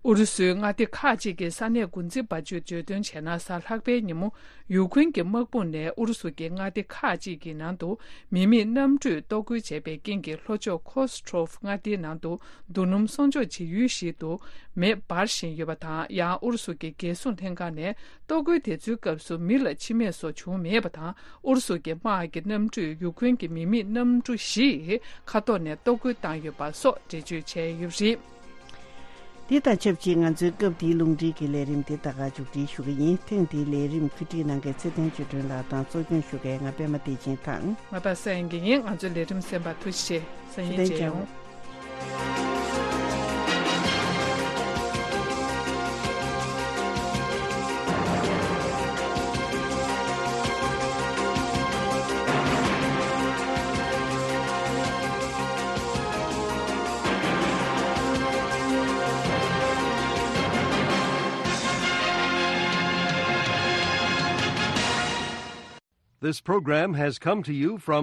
ཨུ་རུ་སུའི་མངའ་སྡེ་ཁག་ཅིག་གི་ས་གནས་འགོ་འཛིན་པ་ཚོས་བརྗོད་དོན་བྱས་ན། གཟའ་ལྷག་པའི་ཉིན་མོ་ཡུ་ཁུ་རེན་གྱི་དམག་དཔུང་ནས་ཨུ་རུ་སུ་གྱི་མངའ་སྡེ་ཁག་ཅིག་གི་ནང་དུ་མི་མེད་གནམ་གྲུས་གཏོར་རྒོལ་བྱས་པའི་རྐྱེན་གྱིས། ལྷོ་ཕྱོགས་ཁོ་སི་ཁྲོབ་མངའ་སྡེའི་ནང་དུ་རྡོ་སྣུམ་གསོག་འཇོག་བྱེད་ཡུལ་ཞིག་ཏུ་མེ་འབར་བཞིན་ཡོད་པ་དང་། ཡང་ཨུ་རུ་སུ་གྱི་རྒྱལ་སྲུང་ལྷན་ཁང་ནས་གཏོར་རྒོལ་དེ་ཚོའི་སྐབས་སུ་མི་ལ་འཆི་རྨས་སོགས་བྱུང་མེད་པ་དང་། ཨུ་རུ་སུ་གྱི་དམག་གི་གནམ་གྲུས་ཡུ་ཁུ་རེན་གྱི་མི་མེད་གནམ་གྲུ་བཞིའི་མཁའ་ཐོག་ནས་གཏོར་རྒོལ་བཏང་ཡོད་པ་སོགས་འགྲེལ་བརྗོད་བྱས་ཡོད་པ་རེད། འདི་དང་ཆབས་ཅིག་ང་ཚོའི་སྐབས་འདིའི་རླུང་འཕྲིན་གྱི་ལས་རིམ་འདི་ད་ག་མཇུག་སྒྲིལ་ཞུ་གི་ཡིན། ཐེངས་འདིའི་ལས་རིམ་བཀོད་སྒྲིག་གནང་མཁན་ཚེ་བརྟན་ཆོས་སྒྲོན་ལགས་དང་། གཙོ་སྐྱོང་ཞུ་མཁན་ང་པད་མ་བདེ་ཆེན་དང་། ང་པ་སངས་དགེ་ཡིན། ང་ཚོའི་ལས་རིམ་གསན་པར་ཐུགས་རྗེ་ཆེ། སང་ཉིན་ཐུགས་རྗེ་ཆེ། མཇལ་ཡོང་། This program has come to you from